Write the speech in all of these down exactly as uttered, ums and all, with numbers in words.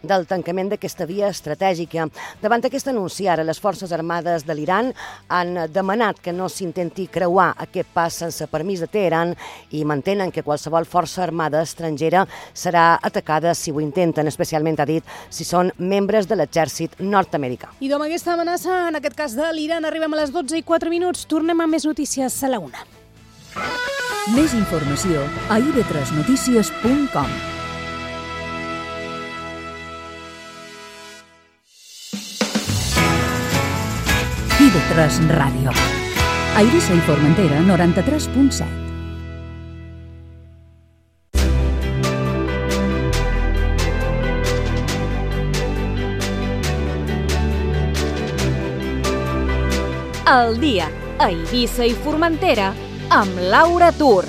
del tancament d'aquesta via estratègica. Davant aquest anunci, ara les forces armades de l'Iran han demanat que no s'intenti creuar aquest pas sense permís de Teheran i mantenen que qualsevol força armada estrangera serà atacada si ho intenten, especialment, ha dit, si són membres de l'exèrcit nord-americà. I amb aquesta amenaça, en aquest cas de l'Iran, arribem a les dotze i quatre minuts. Tornem a més notícies a la una. Més informació a i ve tres notícies punt com. i ve tres Ràdio. A Eivissa i Formentera, noranta-tres punt set. El dia a Eivissa i Formentera amb Laura Tur.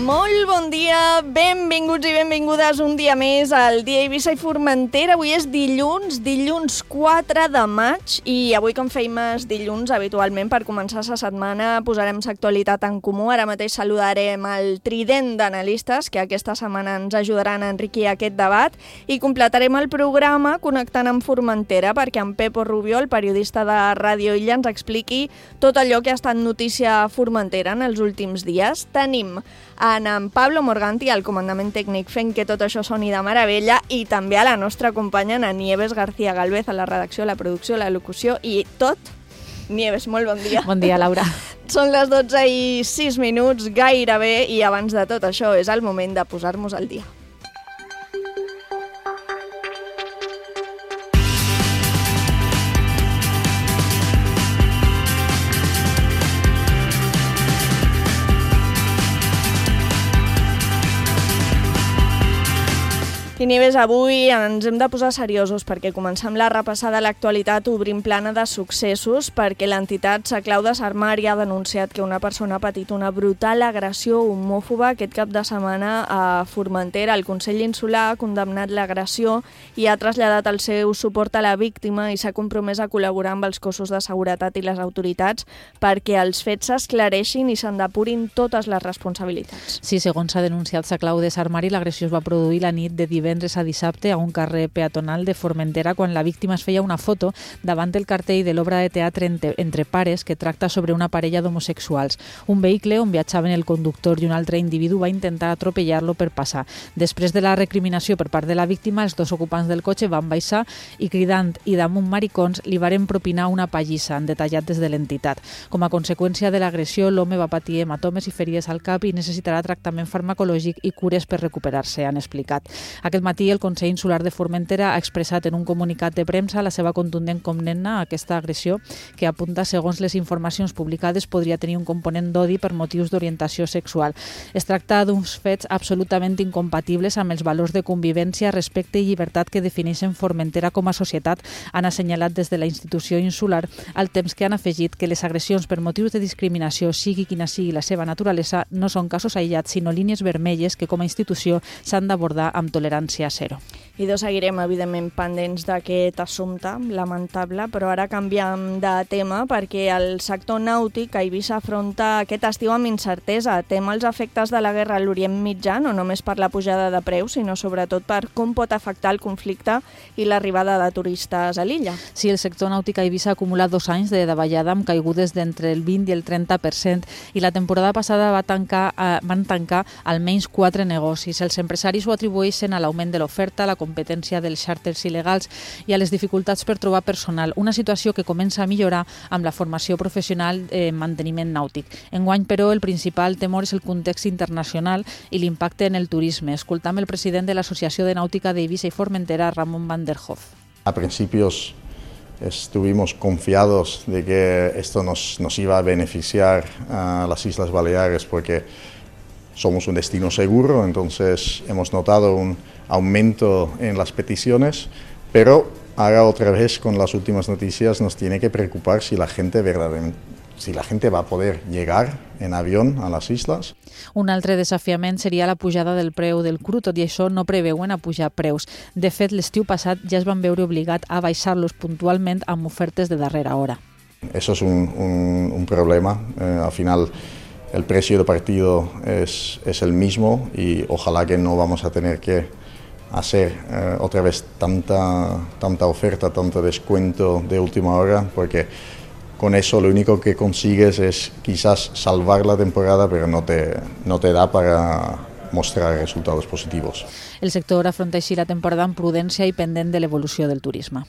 Molt bon dia, benvinguts i benvingudes un dia més al dia Eivissa i Formentera. Avui és dilluns, dilluns quatre de maig, i avui, com feim els dilluns habitualment per començar la setmana, posarem l'actualitat en comú. Ara mateix saludarem el trident d'analistes que aquesta setmana ens ajudaran a enriquir aquest debat i completarem el programa connectant amb Formentera perquè en Pepo Rubio, el periodista de Ràdio Illa, ens expliqui tot allò que ha estat notícia a Formentera en els últims dies. Tenim en en Pablo Morganti, al comandament tècnic, fent que tot això soni de meravella, i també a la nostra companya, en Nieves García Galvez, a la redacció, la producció, la locució i tot. Nieves, molt bon dia. Bon dia, Laura. Són les dotze i sis minuts, gairebé, i abans de tot això és el moment de posar-nos al dia. I Nieves, avui ens hem de posar seriosos perquè comencem la repassada a l'actualitat obrint plana de successos perquè l'entitat Sa Clau de Sarmari ha denunciat que una persona ha patit una brutal agressió homòfoba aquest cap de setmana a Formentera. El Consell Insular ha condemnat l'agressió i ha traslladat el seu suport a la víctima i s'ha compromès a col·laborar amb els cossos de seguretat i les autoritats perquè els fets s'esclareixin i se'n depurin totes les responsabilitats. Sí, segons s'ha denunciat Sa Clau de Sarmari, l'agressió es va produir la nit de divendres divendres a dissabte a un carrer peatonal de Formentera quan la víctima es feia una foto davant del cartell de l'obra de teatre Entre, Entre pares que tracta sobre una parella d'homosexuals. Un vehicle on viatjaven el conductor i un altre individu va intentar atropellar-lo per passar. Després de la recriminació per part de la víctima, els dos ocupants del cotxe van baixar i cridant i damunt maricons li varen propinar una pallissa, han detallat des de l'entitat. Com a conseqüència de l'agressió, l'home va patir hematomes i ferides al cap i necessitarà tractament farmacològic i cures per recuperar-se, han explicat. Aquest matí el Consell Insular de Formentera ha expressat en un comunicat de premsa la seva contundent condemna a aquesta agressió que apunta, segons les informacions publicades, podria tenir un component d'odi per motius d'orientació sexual. Es tracta d'uns fets absolutament incompatibles amb els valors de convivència, respecte i llibertat que defineixen Formentera com a societat, han assenyalat des de la institució insular, al temps que han afegit que les agressions per motius de discriminació, sigui quina sigui la seva naturalesa, no són casos aïllats, sinó línies vermelles que com a institució s'han d'abordar amb tolerància zero. I doncs seguirem, evidentment, pendents d'aquest assumpte lamentable, però ara canviem de tema perquè el sector nàutic a Eivissa afronta aquest estiu amb incertesa. Tem els efectes de la guerra a l'Orient Mitjà, no només per la pujada de preus, sinó sobretot per com pot afectar el conflicte i l'arribada de turistes a l'illa. Sí, el sector nàutic a Eivissa ha acumulat dos anys de davallada amb caigudes d'entre el vint i el trenta per cent i la temporada passada va tancar, eh, van tancar almenys quatre negocis. Els empresaris ho atribueixen a l'augment de l'oferta, a la competència dels xàrters il·legals i a les dificultats per trobar personal, una situació que comença a millorar amb la formació professional en manteniment nàutic. Enguany, però, el principal temor és el context internacional i l'impacte en el turisme. Escoltam el president de l'Associació de Nàutica d'Eivissa i Formentera, Ramon van der Hof. A principios estuvimos confiados de que esto nos, nos iba a beneficiar a las Islas Baleares porque somos un destino seguro, entonces hemos notado un aumento en las peticiones, pero ahora otra vez con las últimas noticias nos tiene que preocupar si la gente verdaderamente, si la gente va a poder llegar en avión a las islas. Un altre desafiament seria la pujada del preu del cru, tot i això no preveuen a pujar preus. De fet, l'estiu passat ja es van veure obligat a baixar-los puntualment amb ofertes de darrera hora. Eso es un, un, un problema. Eh, al final el precio de partido es, es el mismo y ojalá que no vamos a tener que hacer eh, otra vez tanta, tanta oferta, tanto descuento de última hora, porque con eso lo único que consigues es quizás salvar la temporada, pero no te, no te da para mostrar resultados positivos. El sector afronta així la temporada amb prudència i pendent de l'evolució del turisme.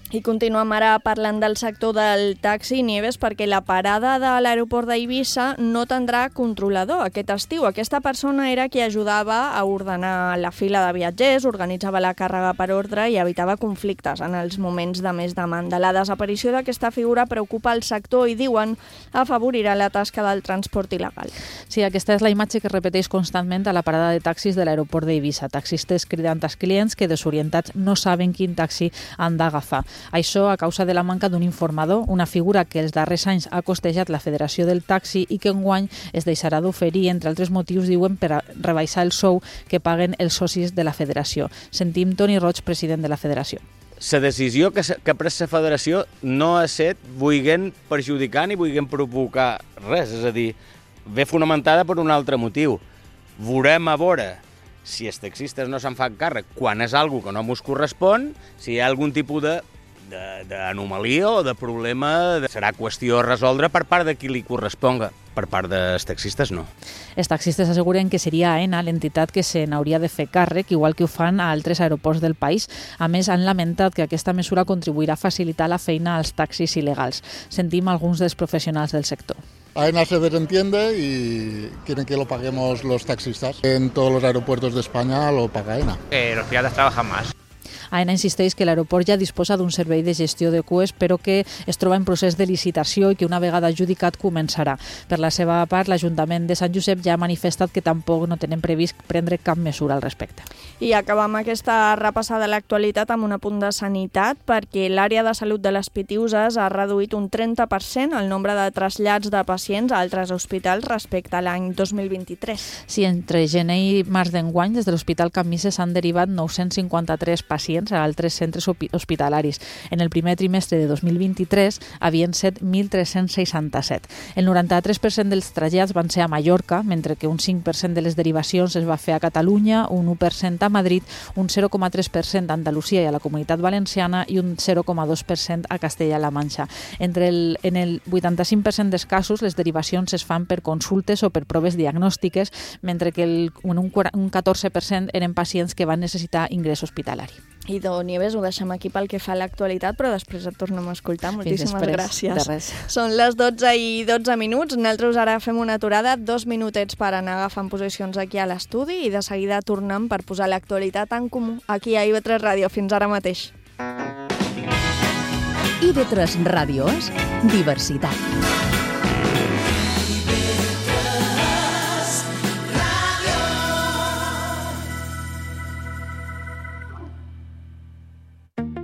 I continuem ara parlant del sector del taxi, Nieves, perquè la parada de l'aeroport d'Eivissa no tindrà controlador aquest estiu. Aquesta persona era qui ajudava a ordenar la fila de viatgers, organitzava la càrrega per ordre i evitava conflictes en els moments de més demanda. La desaparició d'aquesta figura preocupa el sector i, diuen, afavorirà la tasca del transport il·legal. Sí, aquesta és la imatge que es repeteix constantment a la parada de taxis de l'aeroport d'Eivissa. Taxistes cridant als clients que, desorientats, no saben quin taxi han d'agafar. Això a causa de la manca d'un informador, una figura que els darrers anys ha costejat la Federació del Taxi i que enguany es deixarà d'oferir, entre altres motius, diuen, per a rebaixar el sou que paguen els socis de la Federació. Sentim Toni Roig, president de la Federació. La decisió que ha pres la Federació no ha estat vulguent perjudicar ni vulguent provocar res, és a dir, ve fonamentada per un altre motiu. Veurem a veure si els taxistes no se'n fan càrrec quan és algo que no ens correspon, si hi ha algun tipus de d'anomalia o de problema, serà qüestió a resoldre per part de qui li corresponga. Per part dels taxistes, no. Els taxistes asseguren que seria AENA l'entitat que se n'hauria de fer càrrec, igual que ho fan a altres aeroports del país. A més, han lamentat que aquesta mesura contribuirà a facilitar la feina als taxis il·legals. Sentim alguns dels professionals del sector. AENA se desentiende y quieren que lo paguemos los taxistas. En todos los aeropuertos de España lo paga AENA. Eh, los piratas trabajan más. AENA insisteix que l'aeroport ja disposa d'un servei de gestió de cues, però que es troba en procés de licitació i que una vegada adjudicat començarà. Per la seva part, l'Ajuntament de Sant Josep ja ha manifestat que tampoc no tenen previst prendre cap mesura al respecte. I acabam aquesta repassada de l'actualitat amb un apunt de sanitat, perquè l'àrea de salut de les Pitiüses ha reduït un trenta per cent el nombre de trasllats de pacients a altres hospitals respecte a l'any dos mil vint-i-tres. Sí, entre gener i març d'enguany, des de l'Hospital Can Misses s'han derivat nou-cents cinquanta-tres pacients a altres centres hospitalaris. En el primer trimestre de dos mil vint-i-tres havien set mil tres-cents seixanta-set. El noranta-tres per cent dels trasllats van ser a Mallorca, mentre que un cinc per cent de les derivacions es va fer a Catalunya, un u per cent a Madrid, un zero coma tres per cent a Andalusia i a la Comunitat Valenciana i un zero coma dos per cent a Castella-La Manxa. Entre el, en el vuitanta-cinc per cent dels casos, les derivacions es fan per consultes o per proves diagnòstiques, mentre que el, un, un catorze per cent eren pacients que van necessitar ingrés hospitalari. Idò, Nieves, ho deixem aquí pel que fa a l'actualitat, però després et tornem a escoltar. Moltíssimes després, gràcies. De res. Són les dotze i dotze minuts. Nosaltres ara fem una aturada, dos minutets per anar agafant posicions aquí a l'estudi i de seguida tornem per posar l'actualitat en comú aquí a I V tres Ràdio. Fins ara mateix. I V tres Ràdio és diversitat.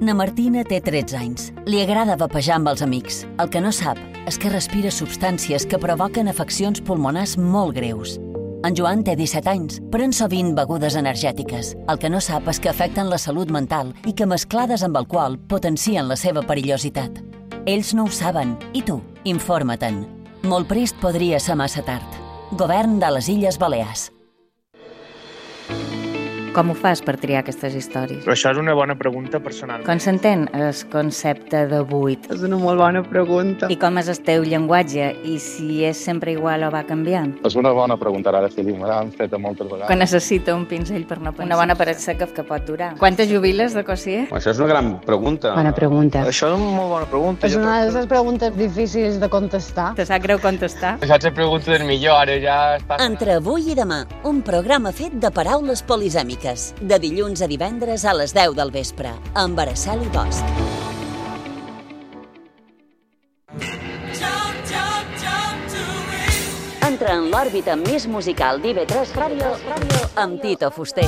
Na Martina té tretze anys. Li agrada vapejar amb els amics. El que no sap és que respira substàncies que provoquen afeccions pulmonars molt greus. En Joan té disset anys, pren sovint begudes energètiques. El que no sap és que afecten la salut mental i que mesclades amb alcohol potencien la seva perillositat. Ells no ho saben. I tu? Informa-te'n. Molt prest podria ser massa tard. Govern de les Illes Balears. Com ho fas per triar aquestes històries? Però això és una bona pregunta personal. Com s'entén el concepte de buit? És una molt bona pregunta. I com és el teu llenguatge? I si és sempre igual o va canviant? És una bona pregunta, ara sí, me l'han fet moltes vegades. Que necessita un pinzell per no pensar. Una bona paret seca que pot durar. Quantes jubiles de cosier? Això és una gran pregunta. Bona pregunta. Això és una molt bona pregunta. És una de les preguntes difícils de contestar. Te sap greu contestar? Això és la pregunta del millor, ara ja està... Entre avui i demà, un programa fet de paraules polisèmiques. De dilluns a divendres a les deu del vespre, amb Araceli Bosch. Entra en l'òrbita més musical d'I V tres Ràdio amb Tito Fuster.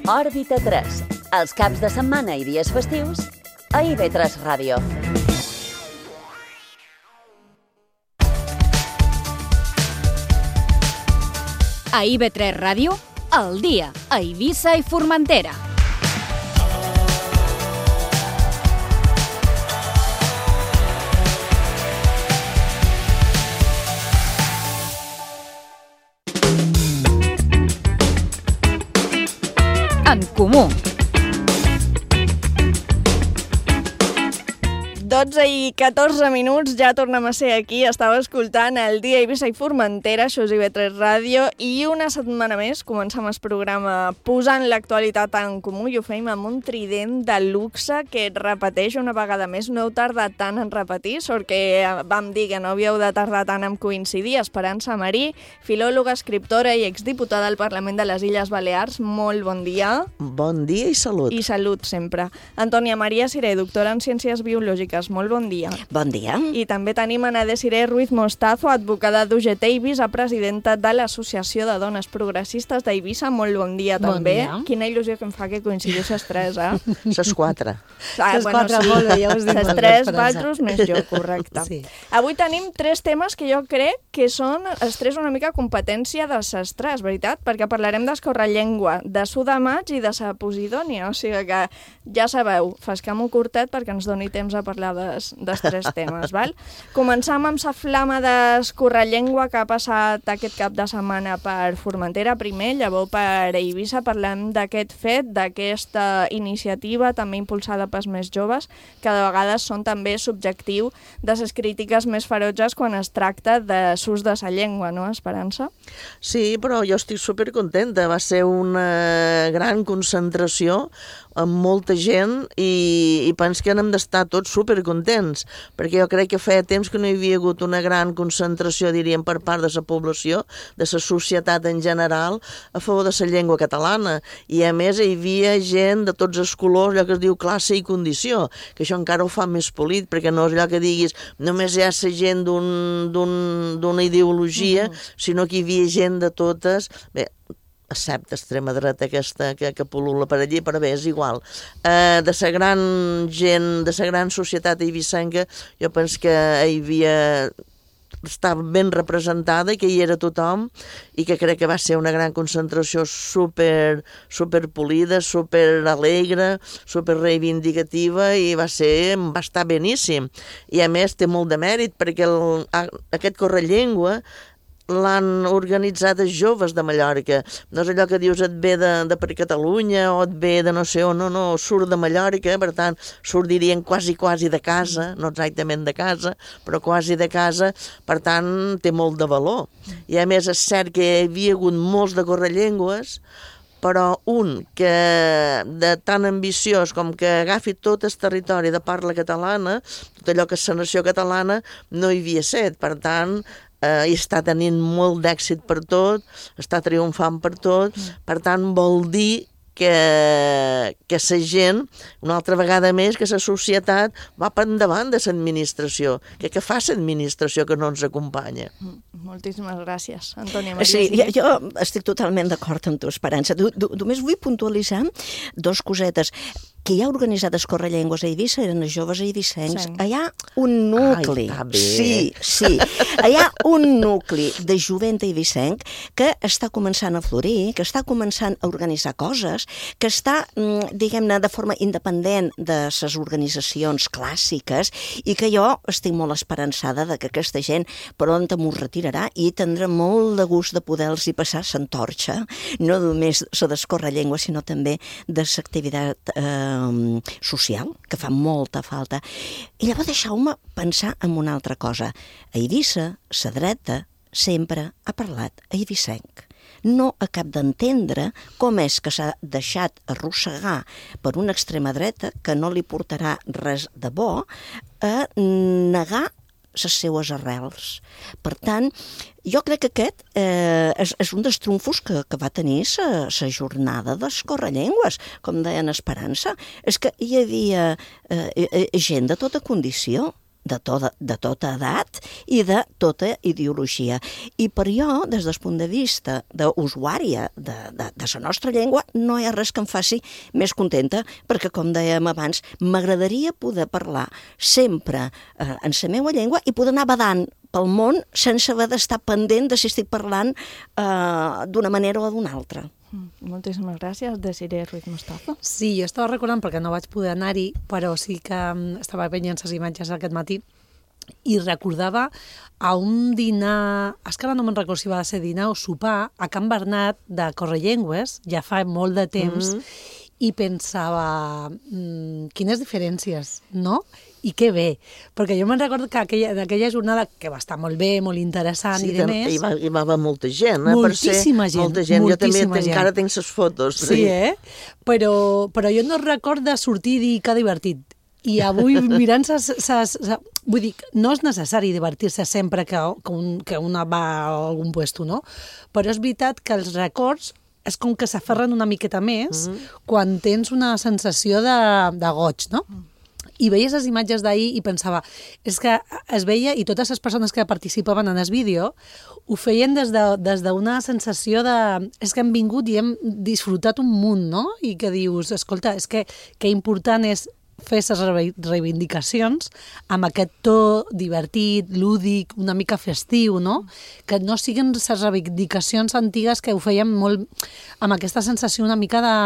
Òrbita tres. Els caps de setmana i dies festius, a I V tres Ràdio. A I V tres Ràdio, al dia, a Eivissa i Formentera. En comú. dotze i catorze minuts, ja tornem a ser aquí. Estava escoltant el dia Eivissa i Formentera, això és I V tres Ràdio, i una setmana més comencem el programa posant l'actualitat en comú i ho feim amb un trident de luxe que et repeteix una vegada més. No heu tardat tant en repetir, sort que vam dir que no havíeu de tardar tant en coincidir. Esperança Marí, filòloga, escriptora i exdiputada al Parlament de les Illes Balears. Molt bon dia. Bon dia i salut. I salut sempre. Antònia Maria Siré, doctora en Ciències Biològiques. Molt bon dia. Bon dia. I també tenim Ana Desiré Ruiz Mostazo, advocada d'U G T Eivissa, presidenta de l'Associació de Dones Progressistes d'Eivissa. Molt bon dia també. Bon dia. Quina il·lusió que em fa que coincidís les tres, eh? Les quatre. Ah, les bueno, quatre, sí. molt bé, ja ho has dit. Les tres, Valtros més jo, correcte. Sí. Avui tenim tres temes que jo crec que són els tres una mica competència de les tres, veritat? Perquè parlarem d'escorrellengua, de Su de Maig i de sa Posidònia. O sigui que ja sabeu, fascam-ho curtet perquè ens doni temps a parlar dels, dels tres temes, val? Començam amb la flama d'escorrellengua que ha passat aquest cap de setmana per Formentera primer, llavors per Eivissa. Parlem d'aquest fet, d'aquesta iniciativa també impulsada pels més joves, que de vegades són també subjectiu de les crítiques més ferotges quan es tracta de s'ús de la llengua, no, Esperança? Sí, però jo estic supercontenta. Va ser una gran concentració amb molta gent i, i penso que n'hem d'estar tots supercontents, perquè jo crec que feia temps que no hi havia hagut una gran concentració, diríem, per part de la població, de la societat en general, a favor de la llengua catalana. I a més hi havia gent de tots els colors, allò que es diu classe i condició, que això encara ho fa més polit, perquè no és allò que diguis només hi ha la gent d'una un, d'un, ideologia, mm-hmm. sinó que hi havia gent de totes. Bé, excepte extrema dreta aquesta que, que pol·lula per allí, però bé, és igual. Uh, de la gran gent, de la gran societat eivissenca, jo penso que hi havia... estava ben representada i que hi era tothom i que crec que va ser una gran concentració super, super polida, super alegre, super reivindicativa i va ser, va estar beníssim. I a més té molt de mèrit perquè el, aquest correllengua l'han organitzat els joves de Mallorca. No és allò que dius et ve de, de per Catalunya o et ve de no sé on, no, no, surt de Mallorca, per tant, surt, dirien, quasi, quasi de casa, no exactament de casa, però quasi de casa, per tant, té molt de valor. I a més és cert que hi havia hagut molts de correllengües, però un que de tan ambiciós com que agafi tot el territori de parla catalana, tot allò que és la nació catalana, no hi havia set, per tant, eh, i està tenint molt d'èxit per tot, està triomfant per tot, per tant vol dir que, que la gent, una altra vegada més, que la societat va per endavant de l'administració, que, que fa l'administració que no ens acompanya. Moltíssimes gràcies, Antònia Maria. Sí, jo, jo estic totalment d'acord amb tu, Esperança. Du, du, només vull puntualitzar dos cosetes. Que hi ha organitzat Escorrellengües a Eivissa eren els joves eivissencs. Sí. Hi ha un nucli. Ai, està bé. Sí, sí. Hi ha un nucli de jovent eivissenc que està començant a florir, que està començant a organitzar coses, que està, diguem-ne, de forma independent de les organitzacions clàssiques i que jo estic molt esperançada de que aquesta gent pront m'ho retirarà i tindrà molt de gust de poder-los passar l'antorxa, no només la d'Escorrellengües, sinó també de l'activitat eh, social, que fa molta falta. I llavors deixeu-me pensar en una altra cosa. A Eivissa, la dreta sempre ha parlat eivissenc. No acab d'entendre com és que s'ha deixat arrossegar per una extrema dreta que no li portarà res de bo a negar les seues arrels. Per tant, jo crec que aquest eh, és, és un dels trumfos que, que va tenir la jornada d'Escorrellengües, com deien Esperança. És que hi havia eh, gent de tota condició. de tota, de tota edat i de tota ideologia. I per jo, des del punt de vista d'usuària de, de, de la nostra llengua, no hi ha res que em faci més contenta, perquè, com dèiem abans, m'agradaria poder parlar sempre eh, en la meva llengua i poder anar badant pel món sense haver d'estar pendent de si estic parlant eh, d'una manera o d'una altra. Mm, moltíssimes gràcies, Desiree Ruiz Mustafa. Sí, jo estava recordant, perquè no vaig poder anar-hi, però sí que estava veient les imatges aquest matí i recordava a un dinar, és que ara no me'n recordo si va ser dinar o sopar, a Can Bernat de Correllengües, ja fa molt de temps, mm-hmm. i pensava, mmm, quines diferències, no? I que bé, perquè jo me'n recordo que aquella, aquella jornada, que va estar molt bé, molt interessant sí, i de més... Hi va, hi va haver molta gent, eh? Moltíssima per ser, gent, molta gent. Jo també gent. encara tinc les fotos. Sí, eh? Però, però jo no recordo sortir i dir que divertit. I avui, mirant ses, ses, ses, vull dir, no és necessari divertir-se sempre que, que, un, que una va a algun puesto, no? Però és veritat que els records és com que s'aferren una miqueta més mm-hmm. quan tens una sensació de, de goig, no? Mm. I veies les imatges d'ahir i pensava, és que es veia, i totes les persones que participaven en el vídeo ho feien des de, des d'una sensació de... És que hem vingut i hem disfrutat un munt, no? I que dius, escolta, és que, que important és fer les reivindicacions amb aquest to divertit, lúdic, una mica festiu, no? Que no siguin les reivindicacions antigues que ho feien molt amb aquesta sensació una mica de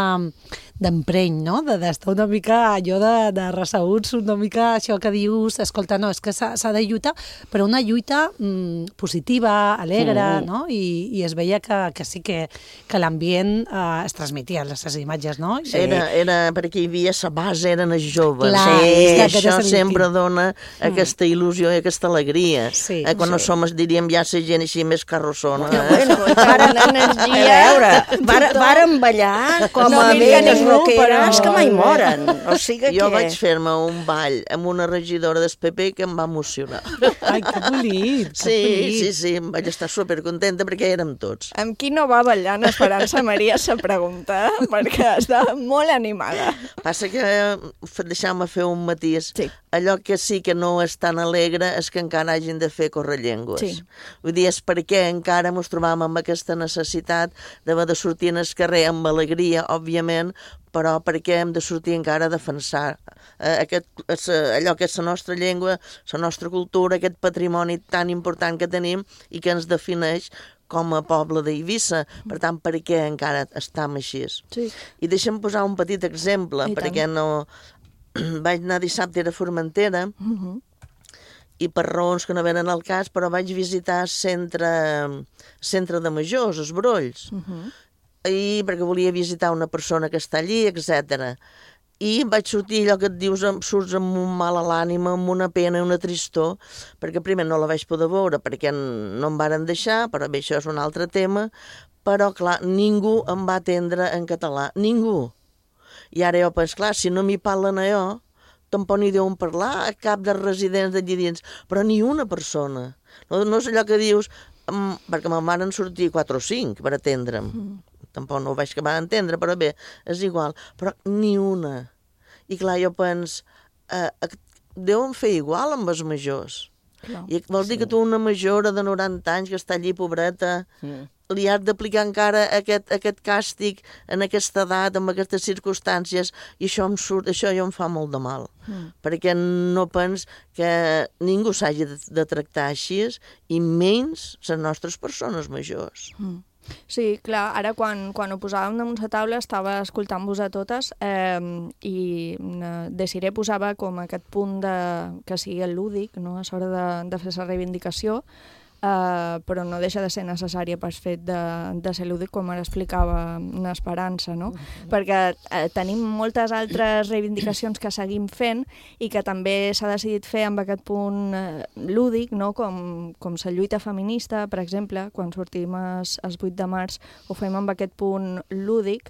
d'empreny, no? D'estar una mica allò de, de ressabuts, una mica això que dius, escolta, no, és que s'ha de lluitar, però una lluita mm, positiva, alegre, mm. no? I, i es veia que, que sí que, que l'ambient eh, es transmetia, les imatges, no? Sí. Era, era perquè hi havia la base, eren els joves. Clar, sí, és que això sempre dona mm. aquesta il·lusió i aquesta alegria. Sí, eh, quan sí. no som, diríem, ja la gent així més carrossona. Eh? Bueno, varen energia, a veure, varen ballar com no, a velles roqueres que mai moren. O sigui jo que... vaig fer-me un ball amb una regidora del P P que em va emocionar. Ai, que bonic, que sí, bonic. Sí, sí, em vaig estar supercontenta perquè érem tots. Amb qui no va ballant Esperança Maria se pregunta, perquè està molt animada. Passa que, deixeu-me fer un matís, sí. allò que sí que no és tan alegre és que encara hagin de fer correllengües. Sí. Vull dir, és perquè encara ens trobam amb aquesta necessitat d'haver de sortir en el carrer amb alegria, òbviament, però perquè hem de sortir encara a defensar eh, aquest, allò que és la nostra llengua, la nostra cultura, aquest patrimoni tan important que tenim i que ens defineix com a poble d'Eivissa. Per tant, per què encara estem així? Sí. I deixa'm posar un petit exemple, I perquè tant. no... Vaig anar dissabte a Formentera, uh-huh. i per raons que no venen al cas, però vaig visitar el centre, centre de majors, els Brolls, uh-huh. i perquè volia visitar una persona que està allí, etcètera. I vaig sortir allò que et dius, surts amb un mal a l'ànima, amb una pena i una tristor, perquè primer no la vaig poder veure, perquè no em varen deixar, però bé, això és un altre tema, però clar, ningú em va atendre en català, ningú. I ara jo penso, clar, si no m'hi parlen a jo, tampoc n'hi deuen parlar a cap dels residents d'allí dins, però ni una persona. No, no és allò que dius, um, perquè me'n van sortir quatre o cinc per atendre'm. Mm. Tampoc no ho vaig acabar d'entendre, però bé, és igual. Però ni una. I clar, jo penso, eh, deuen fer igual amb els majors. No, I vol dir sí. que tu una majora de noranta anys que està allí, pobreta, mm. li has d'aplicar encara aquest, aquest càstig en aquesta edat, amb aquestes circumstàncies, i això em surt, això jo em fa molt de mal. Mm. Perquè no pens que ningú s'hagi de, de tractar així, i menys les nostres persones majors. Mm. Sí, clar, ara quan, quan ho posàvem damunt la taula estava escoltant-vos a totes eh, i Desiree posava com aquest punt de, que sigui el lúdic, no?, a l'hora de, de fer la reivindicació, eh, però no deixa de ser necessària pel fet de, de ser lúdic, com ara explicava Esperança, no? Mm-hmm. Perquè eh, tenim moltes altres reivindicacions que seguim fent i que també s'ha decidit fer amb aquest punt eh, lúdic, no?, com, com la lluita feminista, per exemple, quan sortim el vuit de març ho fem amb aquest punt lúdic,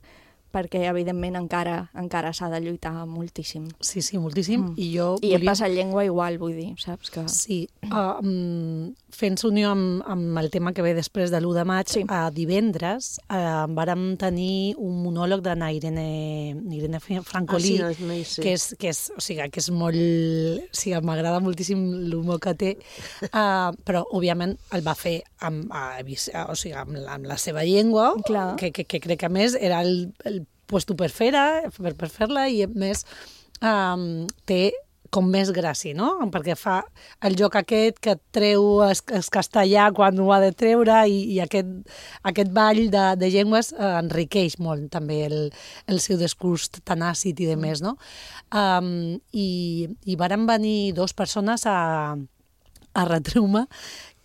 perquè evidentment encara encara s'ha de lluitar moltíssim. Sí, sí, moltíssim. Mm. I jo I volia... he passat llengua igual, vull dir, saps? Que... Sí, uh, um, fent unió amb, amb el tema que ve després de l'u de maig, sí. a divendres uh, vàrem tenir un monòleg de Irene, Irene Francolí, ah, sí, no, no que, és, que, és, o sigui, que és molt... O sigui, m'agrada moltíssim l'humor que té, uh, però, òbviament, el va fer amb, uh, o sigui, amb, la, amb la seva llengua, que, que, que crec que, a més, era el, el puesto per fer-la, per, per fer-la, i, a més, um, té com més gràcia, no? Perquè fa el joc aquest que treu el, el castellà quan ho ha de treure i, i aquest, aquest ball de, de llengües eh, enriqueix molt també el, el seu discurs tan àcid i de més, no? Um, i, I varen venir dues persones a, a retreu-me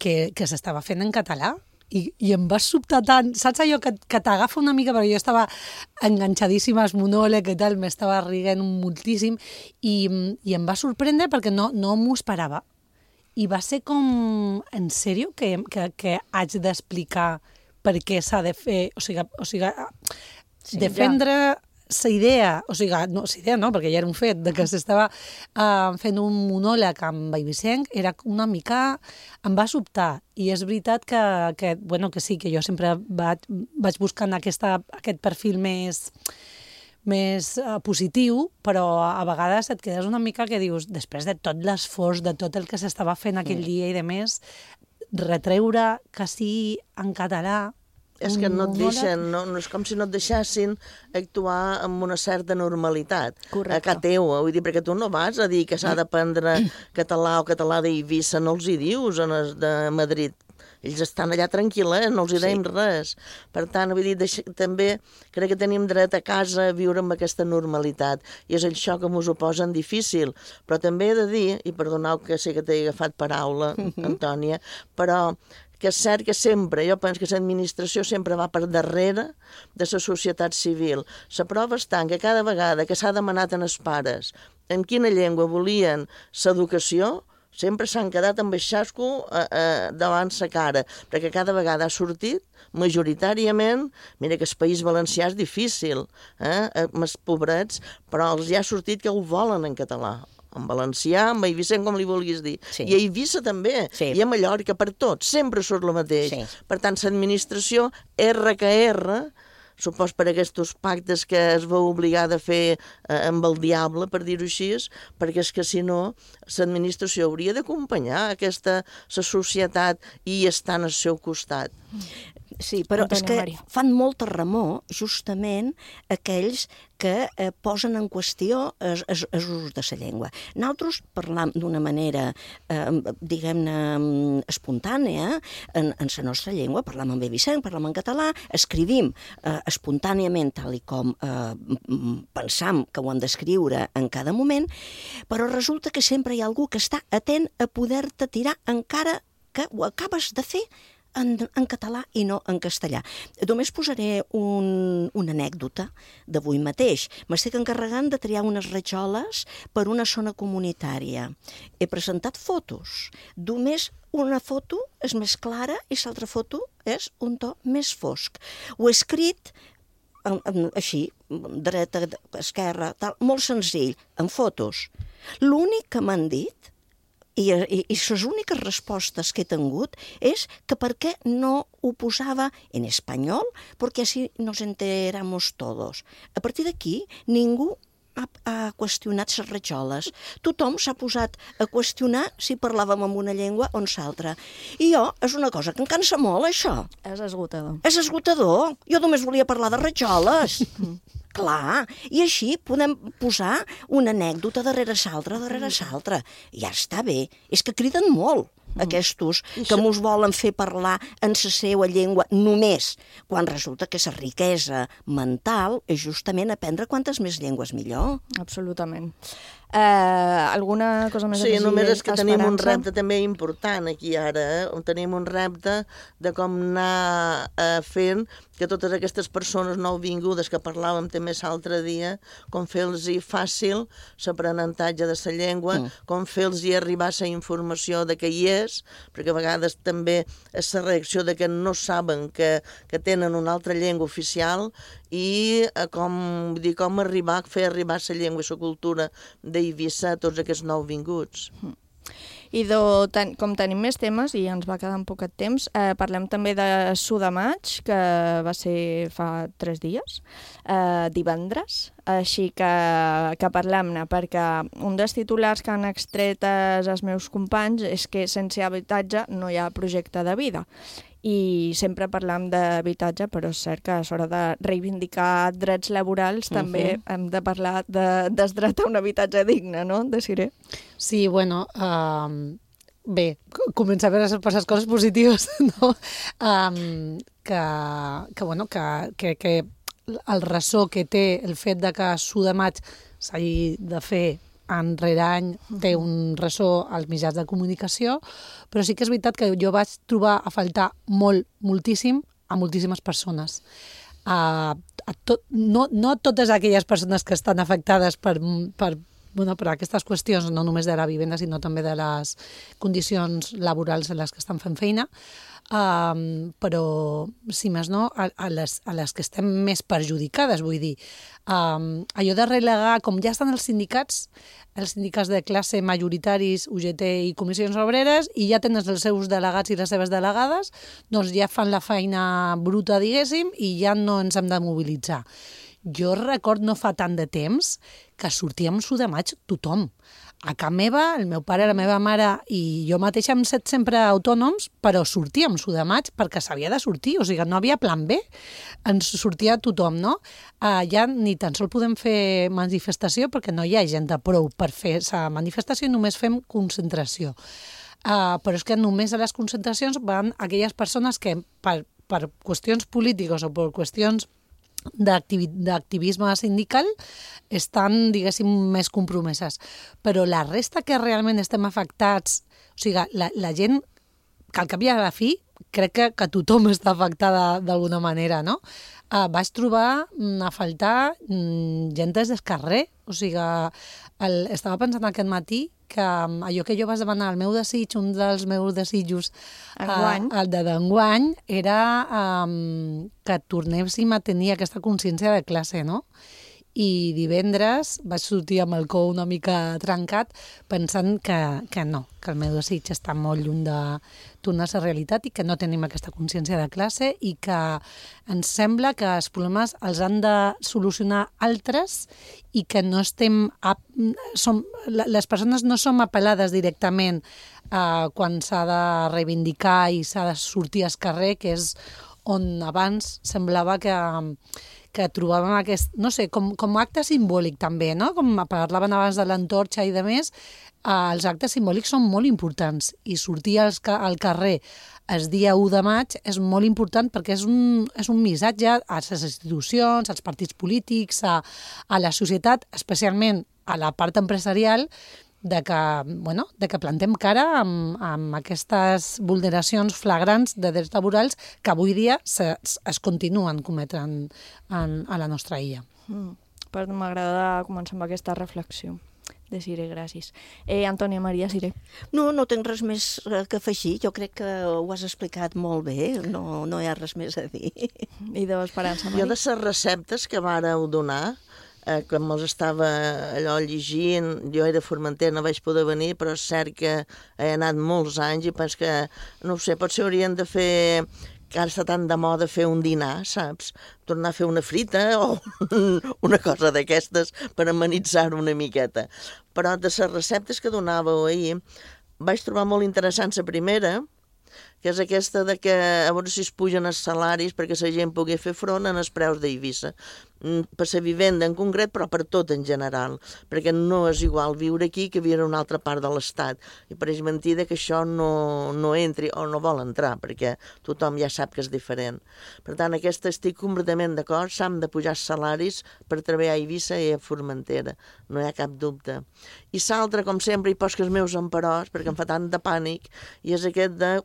que, que s'estava fent en català. I, i em va sobtar tant, saps allò que, que t'agafa una mica, perquè jo estava enganxadíssima al monòleg i tal, m'estava riguent moltíssim, i, i em va sorprendre perquè no, no m'ho esperava. I va ser com, en sèrio, que, que, que haig d'explicar per què s'ha de fer, o sigui, o sigui sí, defendre... Ja. La idea, o sigui, no, la idea no, perquè ja era un fet, de que s'estava uh, fent un monòleg amb Eivissenc, era una mica... Em va sobtar, i és veritat que, que, bueno, que sí, que jo sempre vaig, vaig buscant aquesta, aquest perfil més, més uh, positiu, però a vegades et quedes una mica que dius, després de tot l'esforç, de tot el que s'estava fent aquell dia i de més, retreure que sí en català... És que no et deixen, no, no és com si no et deixessin actuar amb una certa normalitat. Correcte. A casa teu, vull dir, perquè tu no vas a dir que s'ha d'aprendre català o català d'Eivissa, no els hi dius en els de Madrid. Ells estan allà tranquil·les, no els hi deim sí. res. Per tant, vull dir, deix... també crec que tenim dret a casa a viure amb aquesta normalitat. I és això que mos ho posen difícil. Però també he de dir, i perdoneu que sé que t'he agafat paraula, Antònia, però... que és cert que sempre, jo penso que l'administració sempre va per darrere de la societat civil. La prova està que cada vegada que s'ha demanat als pares en quina llengua volien l'educació, sempre s'han quedat amb el xasco eh, eh, davant sa cara, perquè cada vegada ha sortit, majoritàriament, mira que el País Valencià és difícil, eh, amb els pobrets, però els hi ha sortit que ho volen en català. En valencià, en Eivissenc, com li vulguis dir. Sí. I a Eivissa també, sí. I a Mallorca, per tot. Sempre surt el mateix. Sí. Per tant, l'administració, erra que erra, supos per aquests pactes que es va obligar a fer eh, amb el diable, per dir-ho així, perquè és que si no, l'administració hauria d'acompanyar aquesta la societat i estar al seu costat. Sí, però Antònia és que Maria. Fan molta remor, justament, aquells que eh, posen en qüestió els usos de la llengua. Nosaltres parlam d'una manera, eh, diguem-ne, espontània, en, en la nostra llengua, parlam en Eivissenc, parlam en català, escrivim eh, espontàniament, tal i com eh, pensam que ho hem d'escriure en cada moment, però resulta que sempre hi ha algú que està atent a poder-te tirar encara que ho acabes de fer En, en català i no en castellà. Només posaré un, una anècdota d'avui mateix. M'estic encarregant de triar unes rajoles per una zona comunitària. He presentat fotos. Només una foto és més clara i l'altra foto és un to més fosc. Ho he escrit en, en, així, dreta, esquerra, tal, molt senzill, en fotos. L'únic que m'han dit I, i, i les úniques respostes que he tingut és que per què no ho posava en espanyol, perquè així nos enteramos todos. A partir d'aquí, ningú ha, ha qüestionat les rajoles. Tothom s'ha posat a qüestionar si parlàvem en una llengua o en l'altra. I jo, és una cosa que em cansa molt, això. És esgotador. És esgotador. Jo només volia parlar de rajoles. Clar, i així podem posar una anècdota darrere l'altra, darrere l'altra. Ja està bé. És que criden molt, aquestos que mos volen fer parlar en la seva llengua només, quan resulta que la riquesa mental és justament aprendre quantes més llengües millor. Absolutament. Eh, alguna cosa més? Sí, només és que tenim un Esperança? repte també important aquí ara, eh? Tenim un repte de com anar eh, fent que totes aquestes persones nouvingudes que parlàvem també l'altre dia, com fer-los fàcil l'aprenentatge de la llengua, mm. com fer-los arribar la informació de que hi és, perquè a vegades també és la reacció de que no saben que, que tenen una altra llengua oficial i eh, com, vull dir, com arribar, fer arribar la llengua i la cultura d'Eivissa a tots aquests nouvinguts. Mm. I do, ten, com tenim més temes, i ens va quedar un poquet temps, eh, parlem també de Su de Maig, que va ser fa tres dies, eh, divendres, així que, que parlem-ne, perquè un dels titulars que han extret els meus companys és que sense habitatge no hi ha projecte de vida. I sempre parlam d'habitatge, però és cert que a l'hora de reivindicar drets laborals uh-huh. també hem de parlar de, del dret a un habitatge digne, no, Desiree? Sí, bueno, um, bé, començar per les coses positives, no? Um, que, que, bueno, que, que, que el ressò que té el fet de que Su de Maig s'hagi de fer any rere any té un ressò als mitjans de comunicació, però sí que és veritat que jo vaig trobar a faltar molt, moltíssim, a moltíssimes persones. A, a tot, no, no totes aquelles persones que estan afectades per, per, bueno, per aquestes qüestions, no només de la vivenda, sinó també de les condicions laborals en les que estan fent feina, Um, però, si més no, a, a, les, a les que estem més perjudicades, vull dir. Um, allò de relegar, com ja estan els sindicats, els sindicats de classe majoritaris, U G T i comissions obreres, i ja tenen els seus delegats i les seves delegades, doncs ja fan la feina bruta, diguéssim, i ja no ens hem de mobilitzar. Jo record no fa tant de temps que sortíem Su de Maig tothom. A casa meva, el meu pare, la meva mare i jo mateixa hem set sempre autònoms, però sortíem Su de Maig perquè s'havia de sortir, o sigui, no havia plan B, ens sortia tothom, no? Uh, ja ni tan sol podem fer manifestació perquè no hi ha gent de prou per fer la manifestació i només fem concentració. Uh, però és que només a les concentracions van aquelles persones que per, per qüestions polítiques o per qüestions d'activisme sindical estan, diguéssim, més compromeses. Però la resta que realment estem afectats, o sigui, la, la gent que al cap i a la fi crec que, que tothom està afectada d'alguna manera, no? Uh, vaig trobar mm, a faltar mm, gent des del carrer, o sigui, el, estava pensant aquest matí que um, allò que jo vaig demanar, el meu desig, un dels meus desitjos, uh, el de d'enguany, era um, que tornéssim a tenir aquesta consciència de classe, no? I divendres vaig sortir amb el cor una mica trencat pensant que, que no, que el meu desig està molt lluny de tornar a la realitat i que no tenim aquesta consciència de classe i que ens sembla que els problemes els han de solucionar altres i que no estem... A, som, les persones no som apel·lades directament eh, quan s'ha de reivindicar i s'ha de sortir al carrer, que és on abans semblava que... que trobàvem aquest, no sé, com, com acte simbòlic també, no? Com parlaven abans de l'antorxa i de més, eh, els actes simbòlics són molt importants i sortir als, al carrer el dia u de maig és molt important perquè és un, és un missatge a les institucions, als partits polítics, a, a la societat, especialment a la part empresarial, de que, bueno, de que plantem cara amb, amb aquestes vulneracions flagrants de drets laborals que avui dia se, es continuen cometent en, a la nostra illa. Mm. Però m'agrada començar amb aquesta reflexió. Desiree, gràcies. Eh, Antònia Maria Siré. No, no tinc res més que afegir. Jo crec que ho has explicat molt bé. No, no hi ha res més a dir. I de l'Esperança, Mari? Jo de les receptes que vàreu donar, Eh, quan me'ls estava allò llegint, jo era a Formentera, no vaig poder venir, però és cert que he anat molts anys i penso que, no ho sé, potser haurien de fer, que ara està tan de moda fer un dinar, saps? Tornar a fer una frita o una cosa d'aquestes per amenitzar una miqueta. Però de les receptes que donàveu ahir, vaig trobar molt interessant la primera, que és aquesta de que a veure si es pugen els salaris perquè la gent pugui fer front en els preus d'Eivissa. Per la vivenda en concret, però per tot en general, perquè no és igual viure aquí que viure en una altra part de l'Estat. I pareix mentida que això no, no entri o no vol entrar, perquè tothom ja sap que és diferent. Per tant, aquesta estic completament d'acord, s'han de pujar els salaris per treballar a Eivissa i a Formentera, no hi ha cap dubte. I l'altre, com sempre, hi poso els meus emperors, perquè em fa tant de pànic, i és aquest de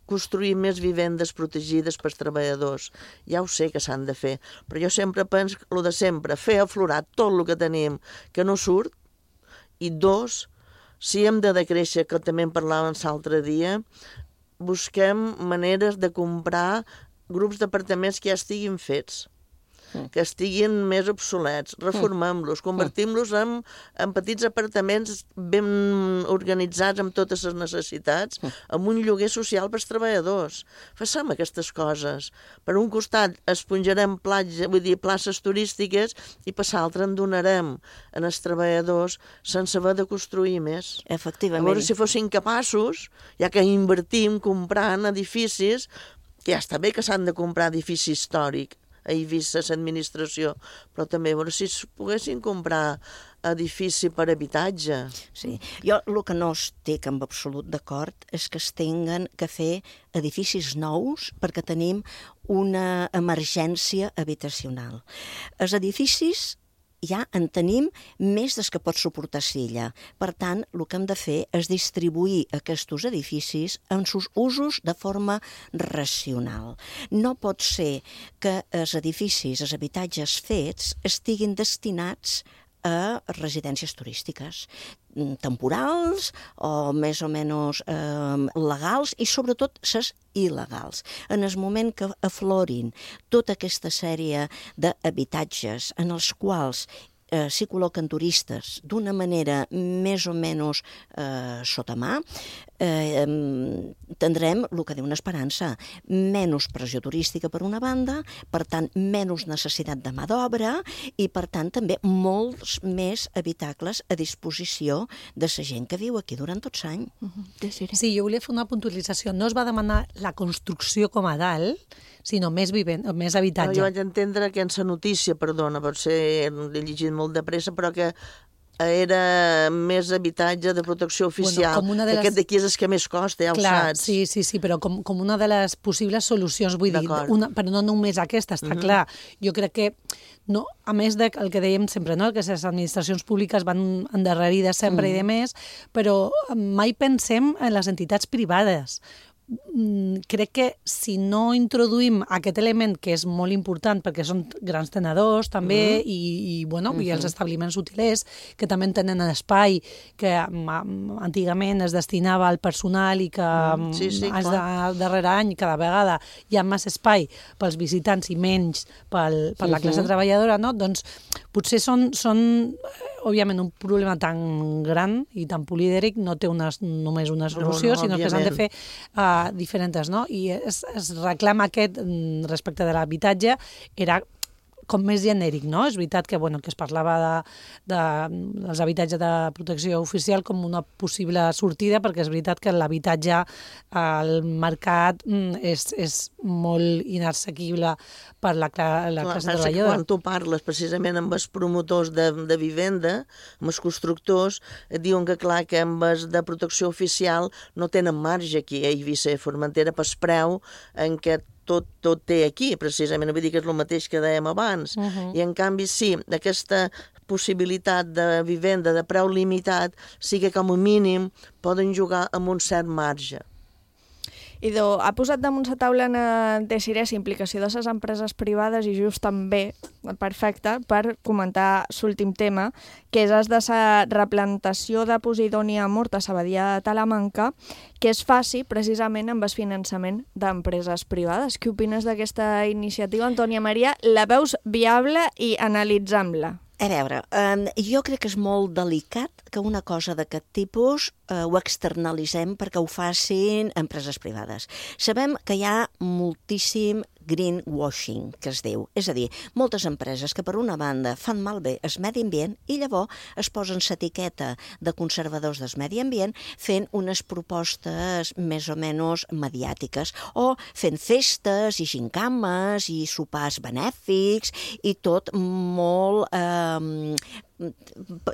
construir més vivendes protegides pels treballadors. Ja ho sé que s'han de fer, però jo sempre penso el de sempre, fer aflorar tot el que tenim que no surt, i dos, si hem de decréixer, que també en parlàvem l'altre dia, busquem maneres de comprar grups d'apartaments que ja estiguin fets, que estiguin més obsolets, reformem-los, convertim-los en, en petits apartaments ben organitzats amb totes les necessitats, amb un lloguer social pels treballadors. Facem aquestes coses. Per un costat esponjarem platja, vull dir, places turístiques, i per l'altre en donarem en els treballadors sense haver de construir més. Efectivament. A veure si fossin capaços, ja que invertim comprant edificis, que ja està bé que s'han de comprar edifici històric, a Eivissa, l'administració, però també a veure si es poguessin comprar edifici per habitatge. Sí, jo el que no estic en absolut d'acord és que es tinguin que fer edificis nous perquè tenim una emergència habitacional. Els edificis ja en tenim més des que pot suportar Silla. Per tant, el que hem de fer és distribuir aquests edificis en sus usos de forma racional. No pot ser que els edificis, els habitatges fets, estiguin destinats a residències turístiques temporals o més o menys eh, legals, i sobretot les il·legals. En el moment que aflorin tota aquesta sèrie d'habitatges en els quals eh, s'hi col·loquen turistes d'una manera més o menys eh, sota mà, eh, tindrem el que diu una esperança, menys pressió turística per una banda, per tant, menys necessitat de mà d'obra i, per tant, també molts més habitacles a disposició de la gent que viu aquí durant tot l'any. Uh-huh. Sí, jo volia fer una puntualització. No es va demanar la construcció com a tal, sinó més, vivent, més habitatge. No, jo vaig entendre que en la notícia, perdona, potser he llegit molt de pressa, però que era més habitatge de protecció oficial. Bueno, les... Aquest d'aquí és el que més costa, ja ho clar, saps. Sí, sí, sí, però com, com una de les possibles solucions, vull dir, una, però no només aquesta, està uh-huh. clar. Jo crec que, no, a més del que dèiem sempre, no? Que les administracions públiques van endarrerides sempre uh-huh. i de més, però mai pensem en les entitats privades. Crec que si no introduïm aquest element, que és molt important perquè són grans tenedors també, uh-huh. i, i, bueno, uh-huh. i els establiments hotelers que també tenen espai que antigament es destinava al personal i que uh-huh. sí, sí, els de, darrere any cada vegada hi ha més espai pels visitants i menys pel, per la classe uh-huh. treballadora, no? Doncs potser són, són òbviament un problema tan gran i tan polídric, no té una, només una solució, no, no, sinó òbviament. Que s'han de fer uh, diferents, no? I es, es reclama aquest respecte de l'habitatge era com més genèric, no? És veritat que, bueno, que es parlava de, de, dels habitatges de protecció oficial com una possible sortida, perquè és veritat que l'habitatge al mercat és, és molt inassequible per la, la clar, classe treballadora. Quan tu parles precisament amb els promotors de, de vivenda, amb els constructors, et diuen que clar que amb els de protecció oficial no tenen marge aquí a Eivissa i Formentera per preu en què tot, tot té aquí, precisament, vull dir que és el mateix que dèiem abans, uh-huh. i en canvi sí, aquesta possibilitat de vivenda de preu limitat sí que com a mínim poden jugar amb un cert marge. Idò, ha posat damunt la taula en Desirés implicació de les empreses privades i just també, perfecte, per comentar l'últim tema, que és el de la replantació de Posidònia Mort a la Badia de Talamanca, que es faci precisament amb el finançament d'empreses privades. Què opines d'aquesta iniciativa, Antònia Maria? La veus viable i analitzem-la? A veure, eh, jo crec que és molt delicat que una cosa d'aquest tipus eh, ho externalitzem perquè ho facin empreses privades. Sabem que hi ha moltíssim greenwashing, que es diu. És a dir, moltes empreses que per una banda fan malbé el medi ambient i llavors es posen l'etiqueta de conservadors del medi ambient fent unes propostes més o menys mediàtiques o fent festes i gincames i sopars benèfics i tot molt, eh,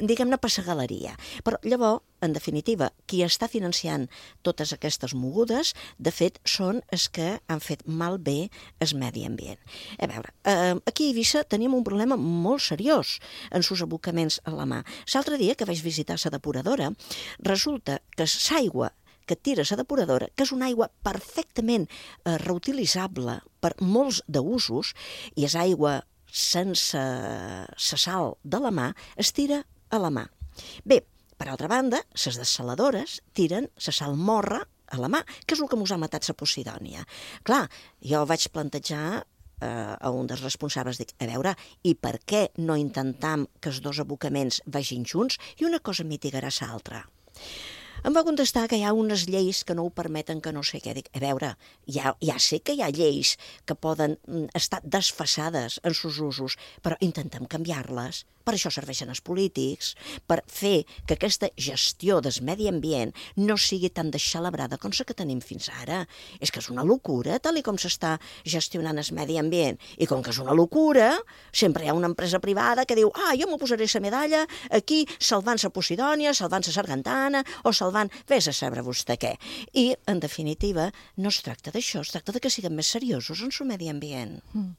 diguem-ne, passagaleria. Però llavors, en definitiva, qui està financiant totes aquestes mogudes, de fet, són els que han fet malbé el medi ambient. A veure, eh, aquí a Eivissa tenim un problema molt seriós en sus abocaments a la mà. L'altre dia que vaig visitar la depuradora, resulta que l'aigua que tira la depuradora, que és una aigua perfectament eh, reutilitzable per molts d'usos, i és aigua sense la sal de la mà, es tira a la mà. Bé, per altra banda, les dessaladores tiren la sal morra a la mà, que és el que mos ha matat la Posidònia. Clar, jo vaig plantejar eh, a un dels responsables, dic, a veure, i per què no intentam que els dos abocaments vagin junts i una cosa mitigarà l'altra? Em va contestar que hi ha unes lleis que no ho permeten, que no sé què. Dic, a veure, ja, ja sé que hi ha lleis que poden estar desfasades en sus usos, però intentem canviar-les. Per això serveixen els polítics, per fer que aquesta gestió del medi ambient no sigui tan desxalabrada com la que tenim fins ara. És que és una locura, tal com s'està gestionant el medi ambient. I com que és una locura, sempre hi ha una empresa privada que diu, ah, jo m'ho posaré la medalla aquí salvant la Posidònia, salvant la Sargantana o salvant, vés a saber vostè què. I, en definitiva, no es tracta d'això, es tracta de que siguem més seriosos en el medi ambient. Mm.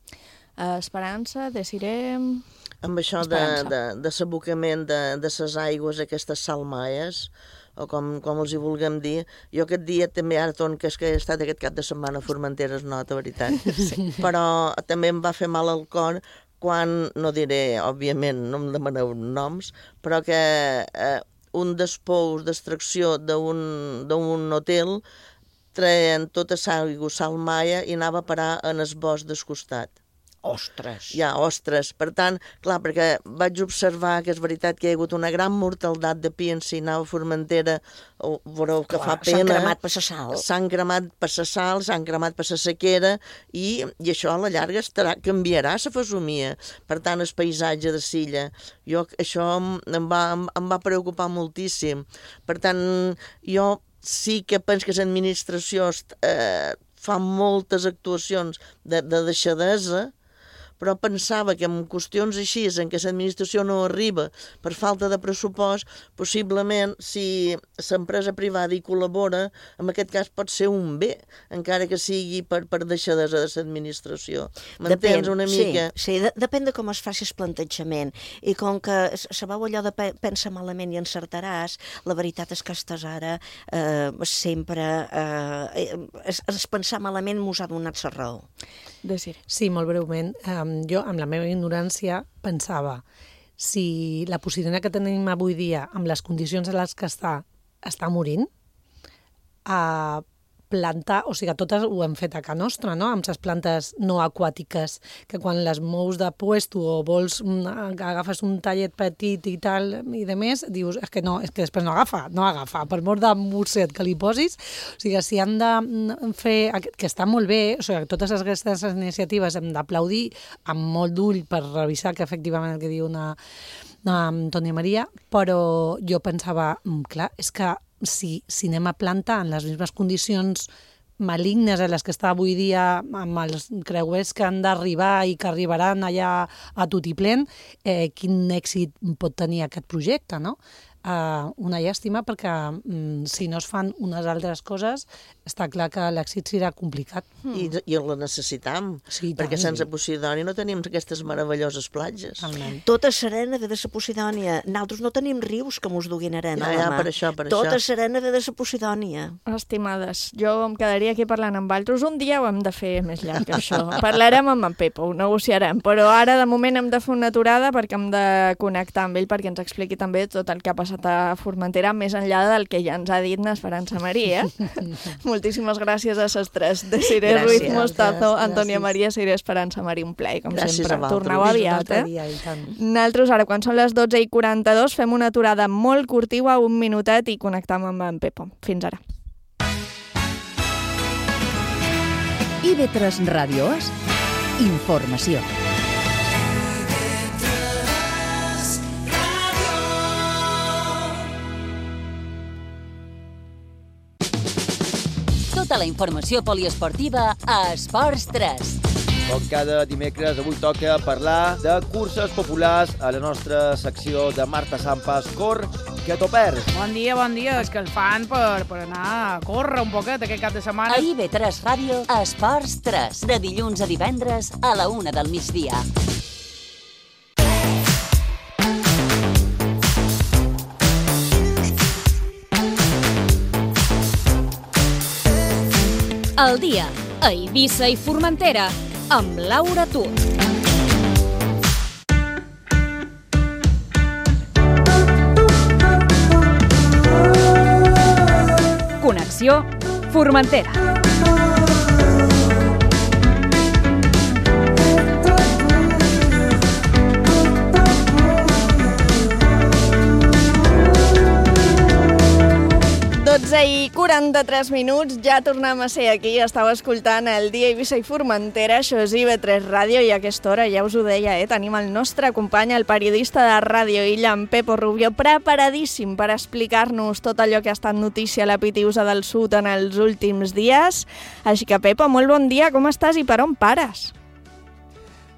Uh, Esperança, decidirem... Amb això de, de, de s'abocament de, de ses aigües, aquestes salmaies, o com, com els hi vulguem dir, jo aquest dia també, ara ton, que és que he estat aquest cap de setmana a Formentera, es nota, veritat, sí. Però també em va fer mal al cor quan, no diré, òbviament, no em demaneu noms, però que eh, un dels pous d'extracció d'un hotel treien tota l'aigua salmaia i anava a parar en el bosc del costat. Ostres! Ja, ostres. Per tant, clar, perquè vaig observar que és veritat que hi ha hagut una gran mortaldat de pi encinau a Formentera, o, veureu que clar, fa pena. S'han cremat per la sal. S'han cremat per la sal, s'han cremat per la sequera, i, i això a la llarga estarà, canviarà la fesomia. Per tant, el paisatge de Silla. Jo, això em va, em, em va preocupar moltíssim. Per tant, jo sí que penso que l'administració eh, fa moltes actuacions de, de deixadesa, però pensava que en qüestions així, en què l'administració no arriba per falta de pressupost, possiblement, si l'empresa privada hi col·labora, en aquest cas pot ser un bé, encara que sigui per, per deixadesa de l'administració. M'entens una mica? Sí, sí de, depèn de com es faci el plantejament. I com que sabeu allò de pe pensa malament i encertaràs, la veritat és que estàs ara eh, sempre... Eh, es, es pensar malament mos ha donat la raó. Sí, molt breument. Um, jo, amb la meva ignorància, pensava si la Posidònia que tenim avui dia, amb les condicions en les que està, està morint, a plantar, o sigui, totes ho hem fet a casa nostra, no?, amb les plantes no aquàtiques, que quan les mous de puesto o vols, agafes un tallet petit i tal, i de més, dius, és que no, és que després no agafa, no agafa, per mort de mosset que li posis, o sigui, si han de fer, que està molt bé, o sigui, totes aquestes iniciatives hem d'aplaudir amb molt d'ull per revisar que efectivament el que diu una, una Antònia Maria, però jo pensava, clar, és que si, si anem a plantar en les mismes condicions malignes a les que està avui dia amb els creuers que han d'arribar i que arribaran allà a tutiplén, eh, quin èxit pot tenir aquest projecte, no? Uh, una llàstima perquè mm, si no es fan unes altres coses està clar que l'èxit serà complicat. I, i la necessitam, sí, perquè tant, sense Posidònia no tenim aquestes meravelloses platges. Tota serena ve de la Posidònia. Nosaltres no tenim rius que mos duguin arena ja, a la ja, mà. Per això, per tota això. serena ve de la Posidònia. Estimades, jo em quedaria aquí parlant amb altres. Un dia ho hem de fer més llarg, això. Parlarem amb en Pepo, ho negociarem, però ara de moment hem de fer una aturada perquè hem de connectar amb ell perquè ens expliqui també tot el que ha passat a Formentera, més enllà del que ja ens ha dit Esperança Maria. Moltíssimes gràcies a les tres, de Siré Ruiz Mostazo, Antònia Maria, Siré Esperança Maria, un plaer, com gràcies sempre. Torneu aviat, eh? Nosaltres, ara, quan són les dotze i quaranta-dos, fem una aturada molt curtiva, un minutet, i connectam amb en Pepo. Fins ara. I V tres Ràdio és Informació. Tota la informació poliesportiva a Esports tres. Com cada dimecres, avui toca parlar de curses populars a la nostra secció de Marta Sampas, Cor, que t'ho perds. Bon dia, bon dia. És que el fan per, per anar a córrer un poquet aquest cap de setmana. A I B tres Ràdio, a Esports tres, de dilluns a divendres a la una del migdia. El dia a Eivissa i Formentera amb Laura Tur. Connexió Formentera. dotze i quaranta-tres minuts, ja tornem a ser aquí. Estàu escoltant el dia Eivissa i Formentera, això és I B tres Ràdio, i a aquesta hora, ja us ho deia, eh, tenim el nostre company, el periodista de Ràdio Illa, en Pepo Rubio, preparadíssim per explicar-nos tot allò que ha estat notícia a la Pitiusa del Sud en els últims dies. Així que, Pepo, molt bon dia, com estàs i per on pares?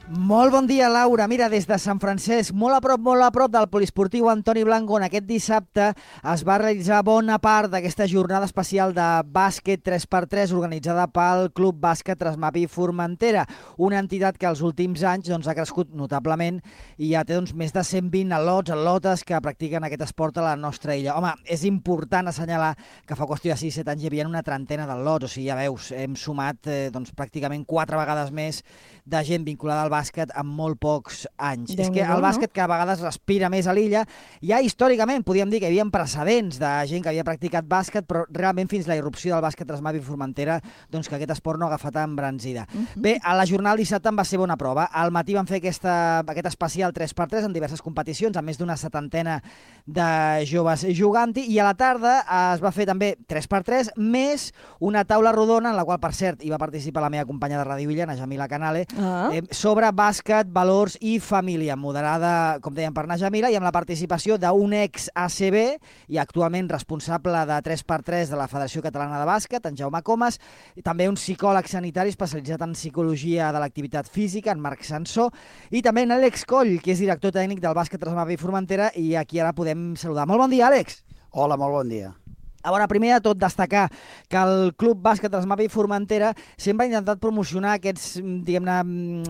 Molt bon dia, Laura. Mira, des de Sant Francesc, molt a prop, molt a prop del poliesportiu Antoni Blanco, on aquest dissabte es va realitzar bona part d'aquesta jornada especial de bàsquet tres per tres organitzada pel Club Bàsquet Trasmapi Formentera, una entitat que els últims anys doncs, ha crescut notablement i ja té doncs, més de cent vint al·lots, al·lotes que practiquen aquest esport a la nostra illa. Home, és important assenyalar que fa qüestió de sis set anys hi havia una trentena d'al·lots, o sigui, ja veus, hem sumat eh, doncs, pràcticament quatre vegades més de gent vinculada al bàsquet en molt pocs anys. Déu és que el bàsquet que a vegades respira més a l'illa, ja històricament podíem dir que hi havia precedents de gent que havia practicat bàsquet, però realment fins la irrupció del bàsquet Trasmapi Formentera, doncs que aquest esport no ha agafat embranzida. Uh -huh. Bé, a la jornada del dissabte en va ser bona prova. Al matí van fer aquesta, aquest especial tres per tres en diverses competicions, amb més d'una setantena de joves jugant-hi, i a la tarda es va fer també tres per tres, més una taula rodona, en la qual, per cert, hi va participar la meva companya de Ràdio Illa, la Jamila Canale, Ah. Eh, sobre bàsquet, valors i família, moderada, com dèiem, per Najamila, i amb la participació d'un ex-A C B i actualment responsable de tres per tres de la Federació Catalana de Bàsquet, en Jaume Comas, i també un psicòleg sanitari especialitzat en psicologia de l'activitat física, en Marc Sansó, i també en Àlex Coll, que és director tècnic del Bàsquet Trasmapi Formentera, i aquí ara podem saludar. Molt bon dia, Àlex. Hola, molt bon dia. A veure, primer de tot, destacar que el Club Bàsquet Trasmapi Formentera sempre ha intentat promocionar aquests, diguem-ne,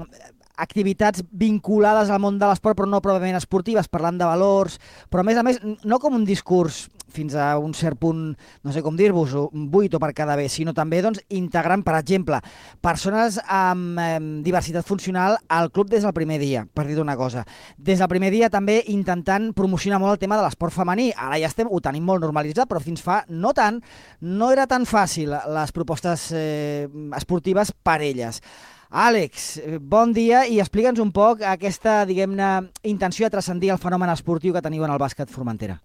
activitats vinculades al món de l'esport, però no pròpiament esportives, parlant de valors, però a més a més, no com un discurs fins a un cert punt, no sé com dir-vos, buit o per quedar bé, sinó també doncs, integrant, per exemple, persones amb eh, diversitat funcional al club des del primer dia, per dir una cosa. Des del primer dia també intentant promocionar molt el tema de l'esport femení. Ara ja estem, ho tenim molt normalitzat, però fins fa no tant, no era tan fàcil les propostes eh, esportives per elles. Àlex, bon dia i explica'ns un poc aquesta, diguem-ne, intenció de transcendir el fenomen esportiu que teniu en el bàsquet Formentera.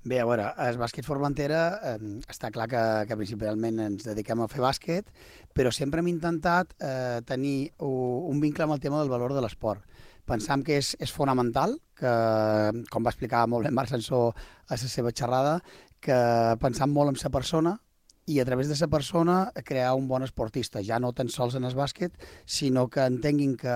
Bé, a veure, el bàsquet Formentera eh, està clar que, que principalment ens dediquem a fer bàsquet, però sempre hem intentat eh, tenir un vincle amb el tema del valor de l'esport. Pensam que és, és fonamental, que, com va explicar molt bé Marc Sansó a la seva xerrada, que pensam molt en la persona, i a través de la persona crear un bon esportista, ja no tan sols en el bàsquet, sinó que entenguin que,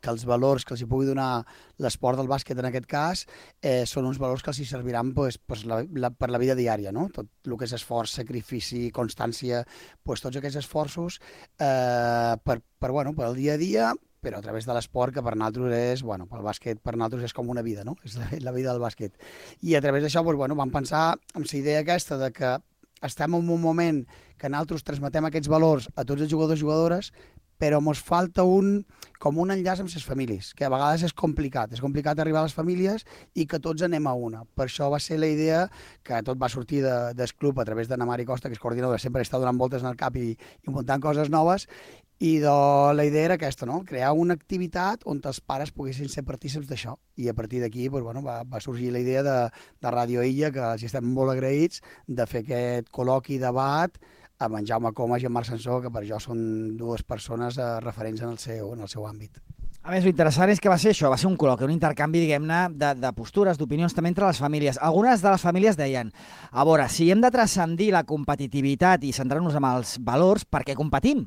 que els valors que els hi pugui donar l'esport del bàsquet en aquest cas eh, són uns valors que els hi serviran pues, pues, la, la, per la vida diària, no? Tot el que és esforç, sacrifici, constància, pues, tots aquests esforços eh, per, per, bueno, per el dia a dia, però a través de l'esport, que per nosaltres és, bueno, pel bàsquet per nosaltres és com una vida, no? És la, la vida del bàsquet. I a través d'això, pues, bueno, vam pensar en la idea aquesta de que estem en un moment que nosaltres transmetem aquests valors a tots els jugadors i jugadores, però ens falta un, com un enllaç amb les famílies, que a vegades és complicat, és complicat arribar a les famílies i que tots anem a una. Per això va ser la idea, que tot va sortir de, del club a través de na Mari Costa, que és coordinadora, sempre està donant voltes en el cap i, i muntant coses noves, i de, la idea era aquesta, no? Crear una activitat on els pares poguessin ser partícips d'això. I a partir d'aquí pues, bueno, va, va sorgir la idea de, de Ràdio Illa, que els estem molt agraïts, de fer aquest col·loqui, debat, amb en Jaume Comas i en Marc Sansó, que per jo són dues persones eh, referents en el seu, en el seu àmbit. A més, l'interessant és que va ser això, va ser un col·loqui, un intercanvi, diguem-ne, de, de postures, d'opinions també entre les famílies. Algunes de les famílies deien, a veure, si hem de transcendir la competitivitat i centrar-nos en els valors, per què competim?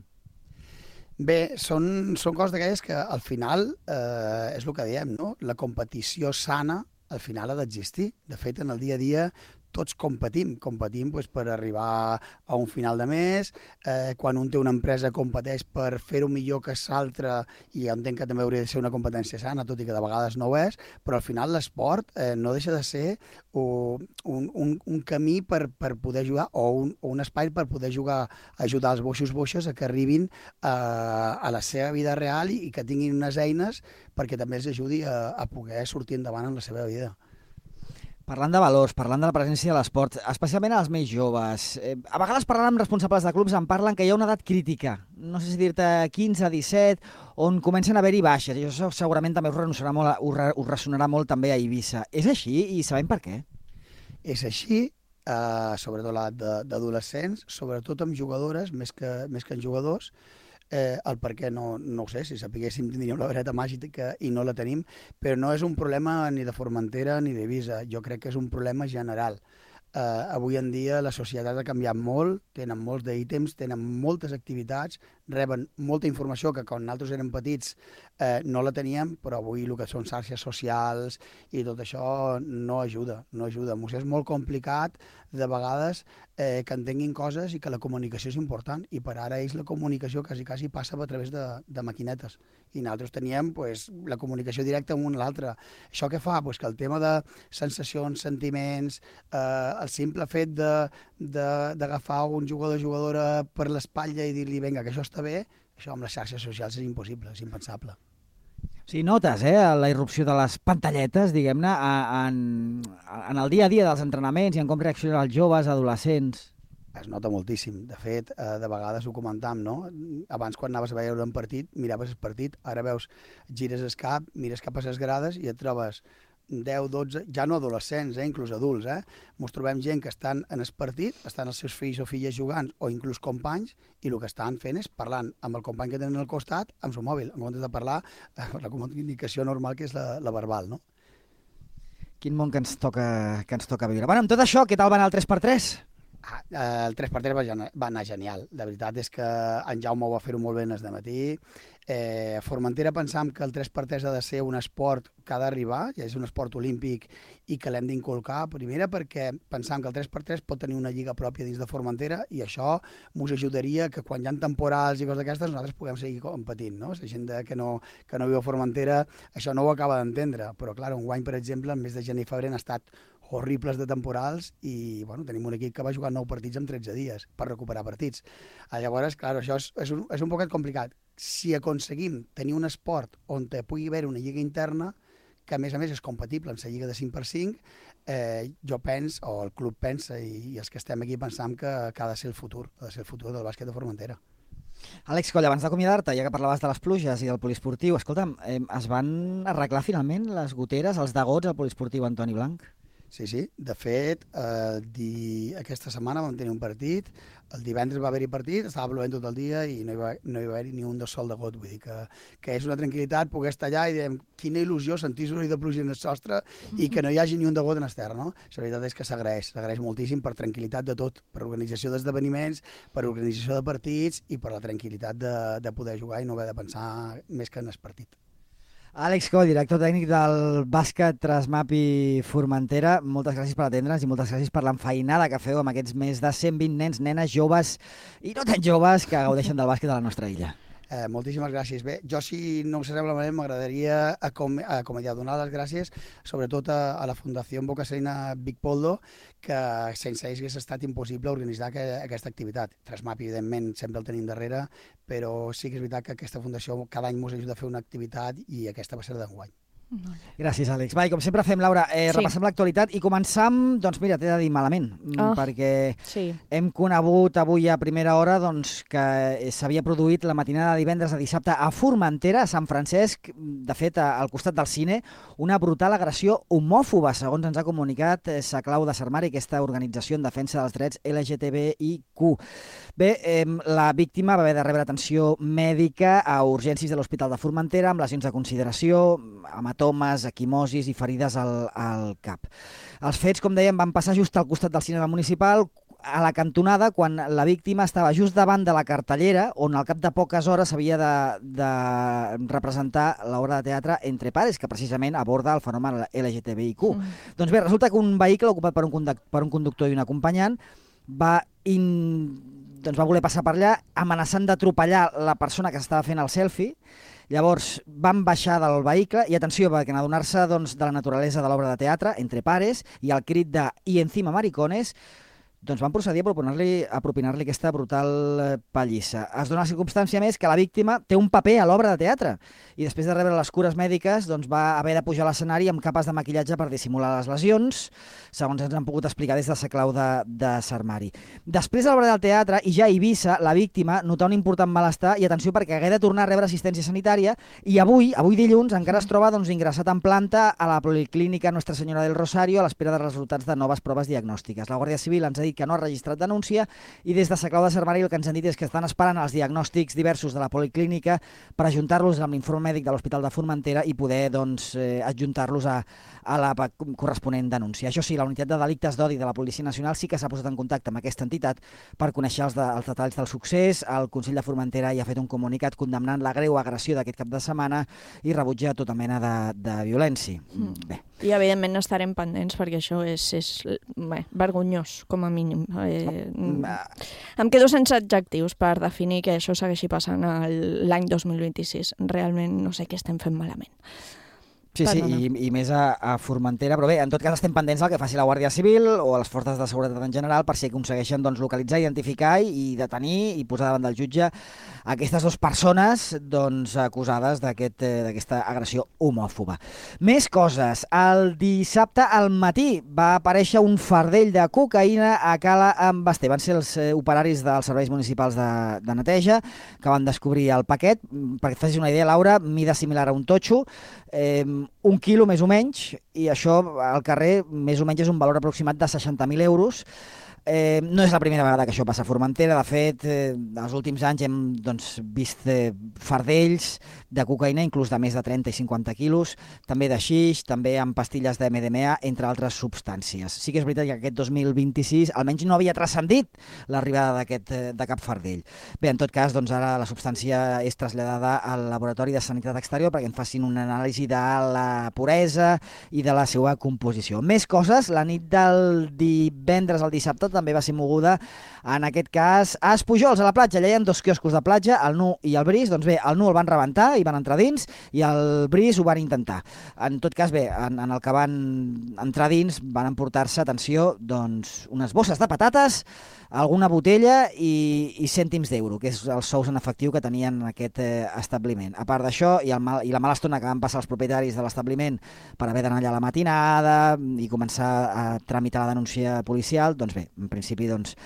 Bé, són, són coses d'aquelles que al final eh, és el que diem, no? La competició sana al final ha d'existir. De fet, en el dia a dia tots competim, competim doncs, per arribar a un final de mes, eh, quan un té una empresa competeix per fer-ho millor que l'altre, i jo entenc que també hauria de ser una competència sana, tot i que de vegades no ho és, però al final l'esport eh, no deixa de ser un, un, un camí per, per poder jugar, o un, o un espai per poder jugar, ajudar els boixos boixes a que arribin a, a la seva vida real i, i que tinguin unes eines perquè també els ajudi a, a poder sortir endavant en la seva vida. Parlant de valors, parlant de la presència de l'esport, especialment als més joves, eh, a vegades parlant amb responsables de clubs em parlen que hi ha una edat crítica, no sé si dir-te quinze, disset, on comencen a haver-hi baixes, i això segurament també us ressonarà molt, us ressonarà molt també a Eivissa. És així i sabem per què? És així, eh, sobretot l'edat d'adolescents, sobretot amb jugadores, més que, més que en jugadors. Eh, el per què no, no ho sé, si sapiguéssim tindríem la vareta màgica i no la tenim, però no és un problema ni de Formentera ni d'Eivissa, jo crec que és un problema general. Eh, avui en dia la societat ha canviat molt, tenen molts d'ítems, tenen moltes activitats, reben molta informació que quan nosaltres érem petits eh, no la teníem, però avui el que són xarxes socials i tot això no ajuda, no ajuda. M'ho sé, és molt complicat de vegades eh, que entenguin coses i que la comunicació és important, i per ara ells la comunicació quasi, quasi passa a través de, de maquinetes, i nosaltres teníem pues, la comunicació directa amb un a l'altre. Això què fa? Pues que el tema de sensacions, sentiments, eh, el simple fet d'agafar un jugador o jugadora per l'espatlla i dir-li vinga, que això està bé, això amb les xarxes socials és impossible, és impensable. Sí, notes, eh, la irrupció de les pantalletes, diguem-ne, en, en el dia a dia dels entrenaments i en com reaccionen els joves, adolescents. Es nota moltíssim. De fet, eh, de vegades ho comentàvem, no? Abans, quan anaves a veure un partit, miraves el partit, ara veus, gires el cap, mires cap a les grades i et trobes deu, dotze, ja no adolescents, eh, inclús adults, eh? Ens trobem gent que estan en el partit, estan els seus fills o filles jugant, o inclús companys, i el que estan fent és parlant amb el company que tenen al costat amb el seu mòbil, en comptes de parlar la comunicació normal que és la, la verbal, no? Quin món que ens toca, que ens toca viure. Bueno, amb tot això, què tal va anar el tres per tres? Ah, el tres per tres va, va anar genial. La veritat és que en Jaume ho va fer-ho molt bé el dematí. Eh, a Formentera pensam que el tres per tres ha de ser un esport que ha d'arribar, ja és un esport olímpic i que l'hem d'inculcar. Primera perquè pensam que el tres per tres pot tenir una lliga pròpia dins de Formentera i això ens ajudaria que quan hi ha temporals i coses d'aquestes nosaltres puguem seguir competint, no? La gent que no, que no viu a Formentera això no ho acaba d'entendre, però clar, un guany, per exemple, el mes de gener i febrer han estat horribles de temporals i bueno, tenim un equip que va jugar nou partits en tretze dies per recuperar partits. Llavors, clar, això és, és, un, és un poquet complicat. Si aconseguim tenir un esport on pugui haver una lliga interna, que a més a més és compatible amb la lliga de cinc per cinc, eh, jo penso, o el club pensa, i, i els que estem aquí pensam que, que ha de ser el futur, ha de ser el futur del bàsquet de Formentera. Àlex Coll, abans d'acomiadar-te, ja que parlaves de les pluges i del poliesportiu, escolta'm, eh, es van arreglar finalment les goteres, els degots al poliesportiu Antoni Blanc? Sí, sí. De fet, eh, di... aquesta setmana vam tenir un partit, el divendres va haver-hi partit, estava plovent tot el dia i no hi va, no hi va haver-hi ni un de sol de got, vull dir que, que és una tranquil·litat poder estar allà i diem quina il·lusió sentir soroll de pluja en el sostre i que no hi hagi ni un de got en el terra, no? La veritat és que s'agraeix, s'agraeix moltíssim per tranquil·litat de tot, per organització d'esdeveniments, per organització de partits i per la tranquil·litat de, de poder jugar i no haver de pensar més que en el partit. Àlex Coll, director tècnic del bàsquet Trasmapi Formentera, moltes gràcies per atendre'ns i moltes gràcies per l'enfeinada que feu amb aquests més de cent vint nens, nenes, joves i no tan joves que gaudeixen del bàsquet a la nostra illa. Eh, moltíssimes gràcies. Bé, jo, si no us sembla malament, m'agradaria acomiadar, donar les gràcies sobretot a, a la Fundació Boca Serena Vic Poldo, que sense ells hagués estat impossible organitzar que, aquesta activitat. Trasmapi, evidentment, sempre el tenim darrere, però sí que és veritat que aquesta fundació cada any ens ajuda a fer una activitat i aquesta va ser d'enguany. Gràcies, Àlex. Va, i com sempre fem, Laura, eh, Sí. repassem l'actualitat i començam, doncs mira, t'he de dir malament, mm, Ah, perquè sí. hem conegut avui a primera hora doncs, que s'havia produït la matinada de divendres a dissabte a Formentera, a Sant Francesc, de fet, a- al costat del cine, una brutal agressió homòfoba, segons ens ha comunicat eh, Saclau de Sarmari, aquesta organització en defensa dels drets L G T B I Q. Bé, eh, la víctima va haver de rebre atenció mèdica a urgències de l'Hospital de Formentera amb lesions de consideració, hematomes, equimosis i ferides al, al cap. Els fets, com dèiem, van passar just al costat del cinema municipal, a la cantonada, quan la víctima estava just davant de la cartellera, on al cap de poques hores s'havia de, de representar l'obra de teatre Entre pares, que precisament aborda el fenomen L G T B I Q. Mm. Doncs bé, resulta que un vehicle ocupat per un, conduc per un conductor i un acompanyant va, in... doncs va voler passar per allà amenaçant d'atropellar la persona que s'estava fent el selfie. Llavors van baixar del vehicle i atenció, perquè en adonar-se doncs, de la naturalesa de l'obra de teatre Entre pares i el crit de "y encima maricones", doncs van procedir a propinar-li a propinar-li aquesta brutal eh, pallissa. Es dona la circumstància més que la víctima té un paper a l'obra de teatre i després de rebre les cures mèdiques doncs va haver de pujar a l'escenari amb capes de maquillatge per dissimular les lesions, segons ens han pogut explicar des de Saclau de, de Sarmari. Després de l'obra del teatre i ja a Eivissa, la víctima notà un important malestar i atenció perquè hagué de tornar a rebre assistència sanitària i avui, avui dilluns, encara es troba doncs, ingressat en planta a la Policlínica Nostra Senyora del Rosario a l'espera de resultats de noves proves diagnòstiques. La Guàrdia Civil ens ha dit que no ha registrat denúncia i des de Saclau de Sarmari el que ens han dit és que estan esperant els diagnòstics diversos de la Policlínica per ajuntar-los amb l'informe mèdic de l'Hospital de Formentera i poder doncs, eh, adjuntar-los a, a la corresponent denúncia. Això sí, la unitat de delictes d'odi de la Policia Nacional sí que s'ha posat en contacte amb aquesta entitat per conèixer els, de, els detalls del succés. El Consell de Formentera hi ha fet un comunicat condemnant la greu agressió d'aquest cap de setmana i rebutja tota mena de, de violència. Mm. Bé. I, evidentment, estarem pendents perquè això és, és bé, vergonyós, com a mínim. Eh, em quedo sense adjectius per definir que això segueixi passant l'any dos mil vint-i-sis. Realment no sé què estem fent malament. Sí, sí, i, i més a, a Formentera, però bé, en tot cas estem pendents del que faci la Guàrdia Civil o a les forces de seguretat en general per si aconsegueixen doncs, localitzar, identificar i detenir i posar davant del jutge aquestes dues persones doncs, acusades d'aquesta aquest, agressió homòfoba. Més coses. El dissabte al matí va aparèixer un fardell de cocaïna a Cala en Basté. Van ser els eh, operaris dels serveis municipals de, de neteja que van descobrir el paquet. Perquè et facis una idea, Laura, mida similar a un totxo, eh, un quilo més o menys, i això al carrer més o menys és un valor aproximat de seixanta mil euros. Eh, no és la primera vegada que això passa a Formentera. De fet, eh, els últims anys hem doncs, vist eh, fardells de cocaïna, inclús de més de trenta i cinquanta quilos, també de xix, també amb pastilles de M D M A, entre altres substàncies. Sí que és veritat que aquest dos mil vint-i-sis almenys no havia transcendit l'arribada d'aquest de cap fardell. Bé, en tot cas, doncs ara la substància és traslladada al Laboratori de Sanitat Exterior perquè en facin una anàlisi de la puresa i de la seva composició. Més coses, la nit del divendres al dissabte també va ser moguda, en aquest cas, a Espujols, a la platja. Allà hi ha dos quioscos de platja, el Nu i el Bris. Doncs bé, el Nu el van rebentar i van entrar dins, i el Bris ho van intentar. En tot cas, bé, en, en el que van entrar dins van emportar-se, atenció, doncs, unes bosses de patates, alguna botella i, i cèntims d'euro, que és els sous en efectiu que tenien en aquest eh, establiment. A part d'això, i, el mal, i la mala estona que van passar els propietaris de l'establiment per haver d'anar allà a la matinada i començar a tramitar la denúncia policial, doncs bé, en principi doncs,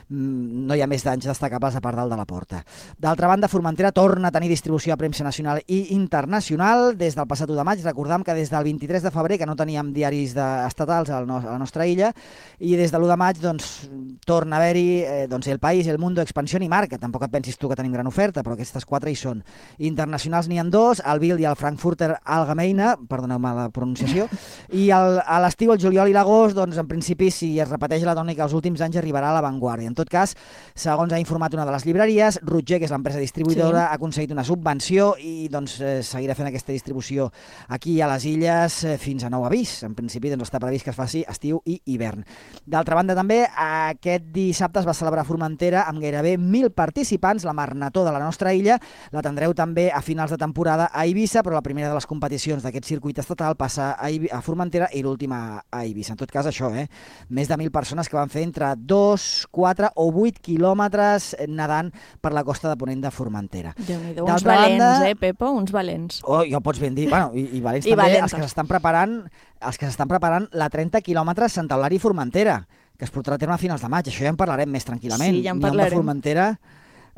no hi ha més danys destacables a part del de la porta. D'altra banda, Formentera torna a tenir distribució a premsa nacional i internacional. Des del passat u de maig, recordam que des del vint-i-tres de febrer, que no teníem diaris de, estatals a la, no, a la nostra illa, i des de l'u de maig doncs, torna a haver-hi eh, doncs, El País, El Mundo, Expansión i Marca. Tampoc et pensis tu que tenim gran oferta, però aquestes quatre hi són. Internacionals n'hi ha dos, el Bild i el Frankfurter Allgemeine, perdoneu-me la pronunciació, i el, a l'estiu, el juliol i l'agost, doncs en principi, si es repeteix la tònica els últims anys, arribarà a La Vanguardia. En tot cas, segons ha informat una de les llibreries, Rutger, que és l'empresa distribuïdora, sí. ha aconseguit una subvenció i doncs, eh, seguirà fent aquesta distribució aquí a les illes eh, fins a nou avís. En principi doncs, està previst que es faci estiu i hivern. D'altra banda, també, aquest dissabte es va celebrar a Formentera amb gairebé mil participants, la Marnató de la nostra illa. La tindreu també a finals de temporada a Eivissa, però la primera de les competicions d'aquest circuit circuit estatal passa a, Ibi a Formentera i l'últim a, a Eivissa. En tot cas, això, eh? Més de mil persones que van fer entre dos, quatre o vuit quilòmetres nedant per la costa de Ponent de Formentera. Déu-n'hi-do, uns valents, banda... eh, Pepo? Uns valents. Oh, ja ho pots ben dir. Bueno, i, i valents I també valentes. els que s'estan preparant, els que s'estan preparant la trenta quilòmetres Santa Eulària i Formentera, que es portarà a terme a finals de maig. Això ja en parlarem més tranquil·lament. Sí, ja en parlarem. Ni de Formentera,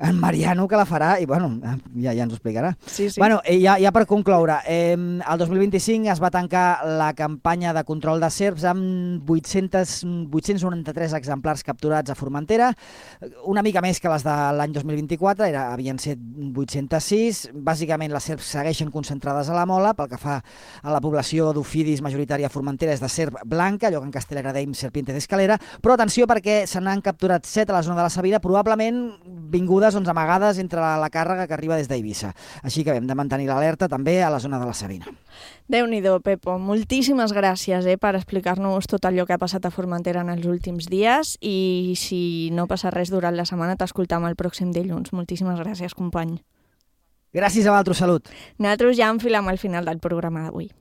en Mariano, que la farà, i bueno, ja, ja ens ho explicarà. Sí, sí. Bueno, ja, ja per concloure, eh, el dos mil vint-i-cinc es va tancar la campanya de control de serps amb vuit-cents noranta-tres exemplars capturats a Formentera, una mica més que les de l'any dos mil vint-i-quatre, era, havien set vuit-cents sis. Bàsicament les serps segueixen concentrades a la Mola. Pel que fa a la població d'ofidis majoritària a Formentera és de serp blanca, allò que en castellà deim serpiente d'escalera, però atenció perquè se n'han capturat set a la zona de la Sabina, probablement vingudes doncs, amagades entre la, la càrrega que arriba des d'Eivissa. Així que hem de mantenir l'alerta també a la zona de la Sabina. Déu-n'hi-do, Pepo. Moltíssimes gràcies eh, per explicar-nos tot allò que ha passat a Formentera en els últims dies, i si no passa res durant la setmana t'escoltam el pròxim dilluns. Moltíssimes gràcies, company. Gràcies a vosaltres, salut. Nosaltres ja enfilem al final del programa d'avui.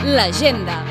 L'agenda.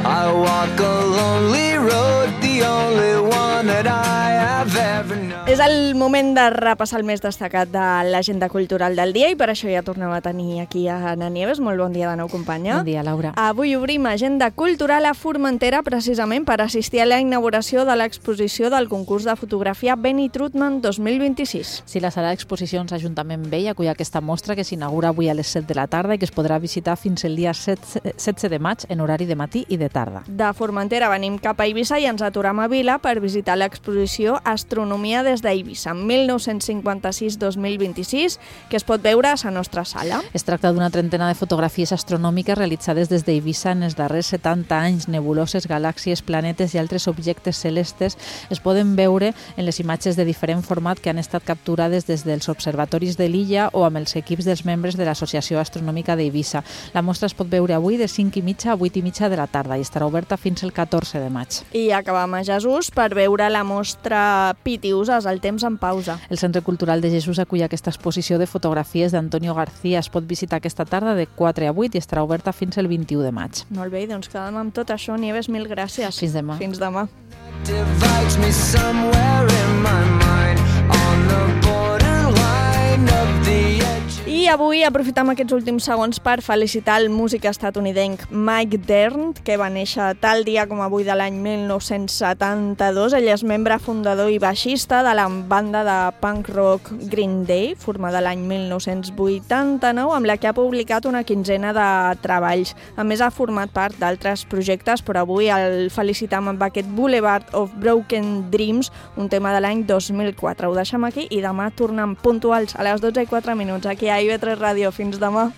I walk a lonely road, the only one that I have ever known. És el moment de repassar el més destacat de l'agenda cultural del dia, i per això ja tornem a tenir aquí a Ana Nieves. Molt bon dia de nou, companya. Bon dia, Laura. Avui obrim agenda cultural a Formentera precisament per assistir a la inauguració de l'exposició del concurs de fotografia Benny Trutman dos mil vint-i-sis. Sí, la sala d'exposicions Ajuntament Vell acull aquesta mostra que s'inaugura avui a les set de la tarda i que es podrà visitar fins el dia setze de maig en horari de matí i de tarda. De Formentera venim cap a Eivissa i ens aturam a Vila per visitar l'exposició Astronomia des d'Eivissa, mil nou-cents cinquanta-sis dos mil vint-i-sis, que es pot veure a la nostra sala. Es tracta d'una trentena de fotografies astronòmiques realitzades des d'Eivissa en els darrers setanta anys. Nebuloses, galàxies, planetes i altres objectes celestes es poden veure en les imatges de diferent format que han estat capturades des dels observatoris de l'illa o amb els equips dels membres de l'Associació Astronòmica d'Eivissa. La mostra es pot veure avui de cinc i mitja a vuit i mitja de la tarda i estarà oberta fins el catorze de maig. I acabam a Jesús per veure la mostra Pitiuses, el temps en pausa. El Centre Cultural de Jesús acull aquesta exposició de fotografies d'Antonio García. Es pot visitar aquesta tarda de quatre a vuit i estarà oberta fins el vint-i-u de maig. Molt bé, doncs quedem amb tot això. Nieves, mil gràcies. Fins demà. Fins demà. Divides me somewhere in my mind on the borderline of the edge. I avui aprofitam aquests últims segons per felicitar el músic estatunidenc Mike Dirnt, que va néixer tal dia com avui de l'any mil nou-cents setanta-dos. Ell és membre fundador i baixista de la banda de punk rock Green Day, formada l'any mil nou-cents vuitanta-nou, amb la que ha publicat una quinzena de treballs. A més, ha format part d'altres projectes, però avui el felicitam amb aquest Boulevard of Broken Dreams, un tema de l'any dos mil quatre. Ho deixem aquí i demà tornem puntuals a les dotze i quatre minuts aquí a I V tres Ràdio. Fins demà.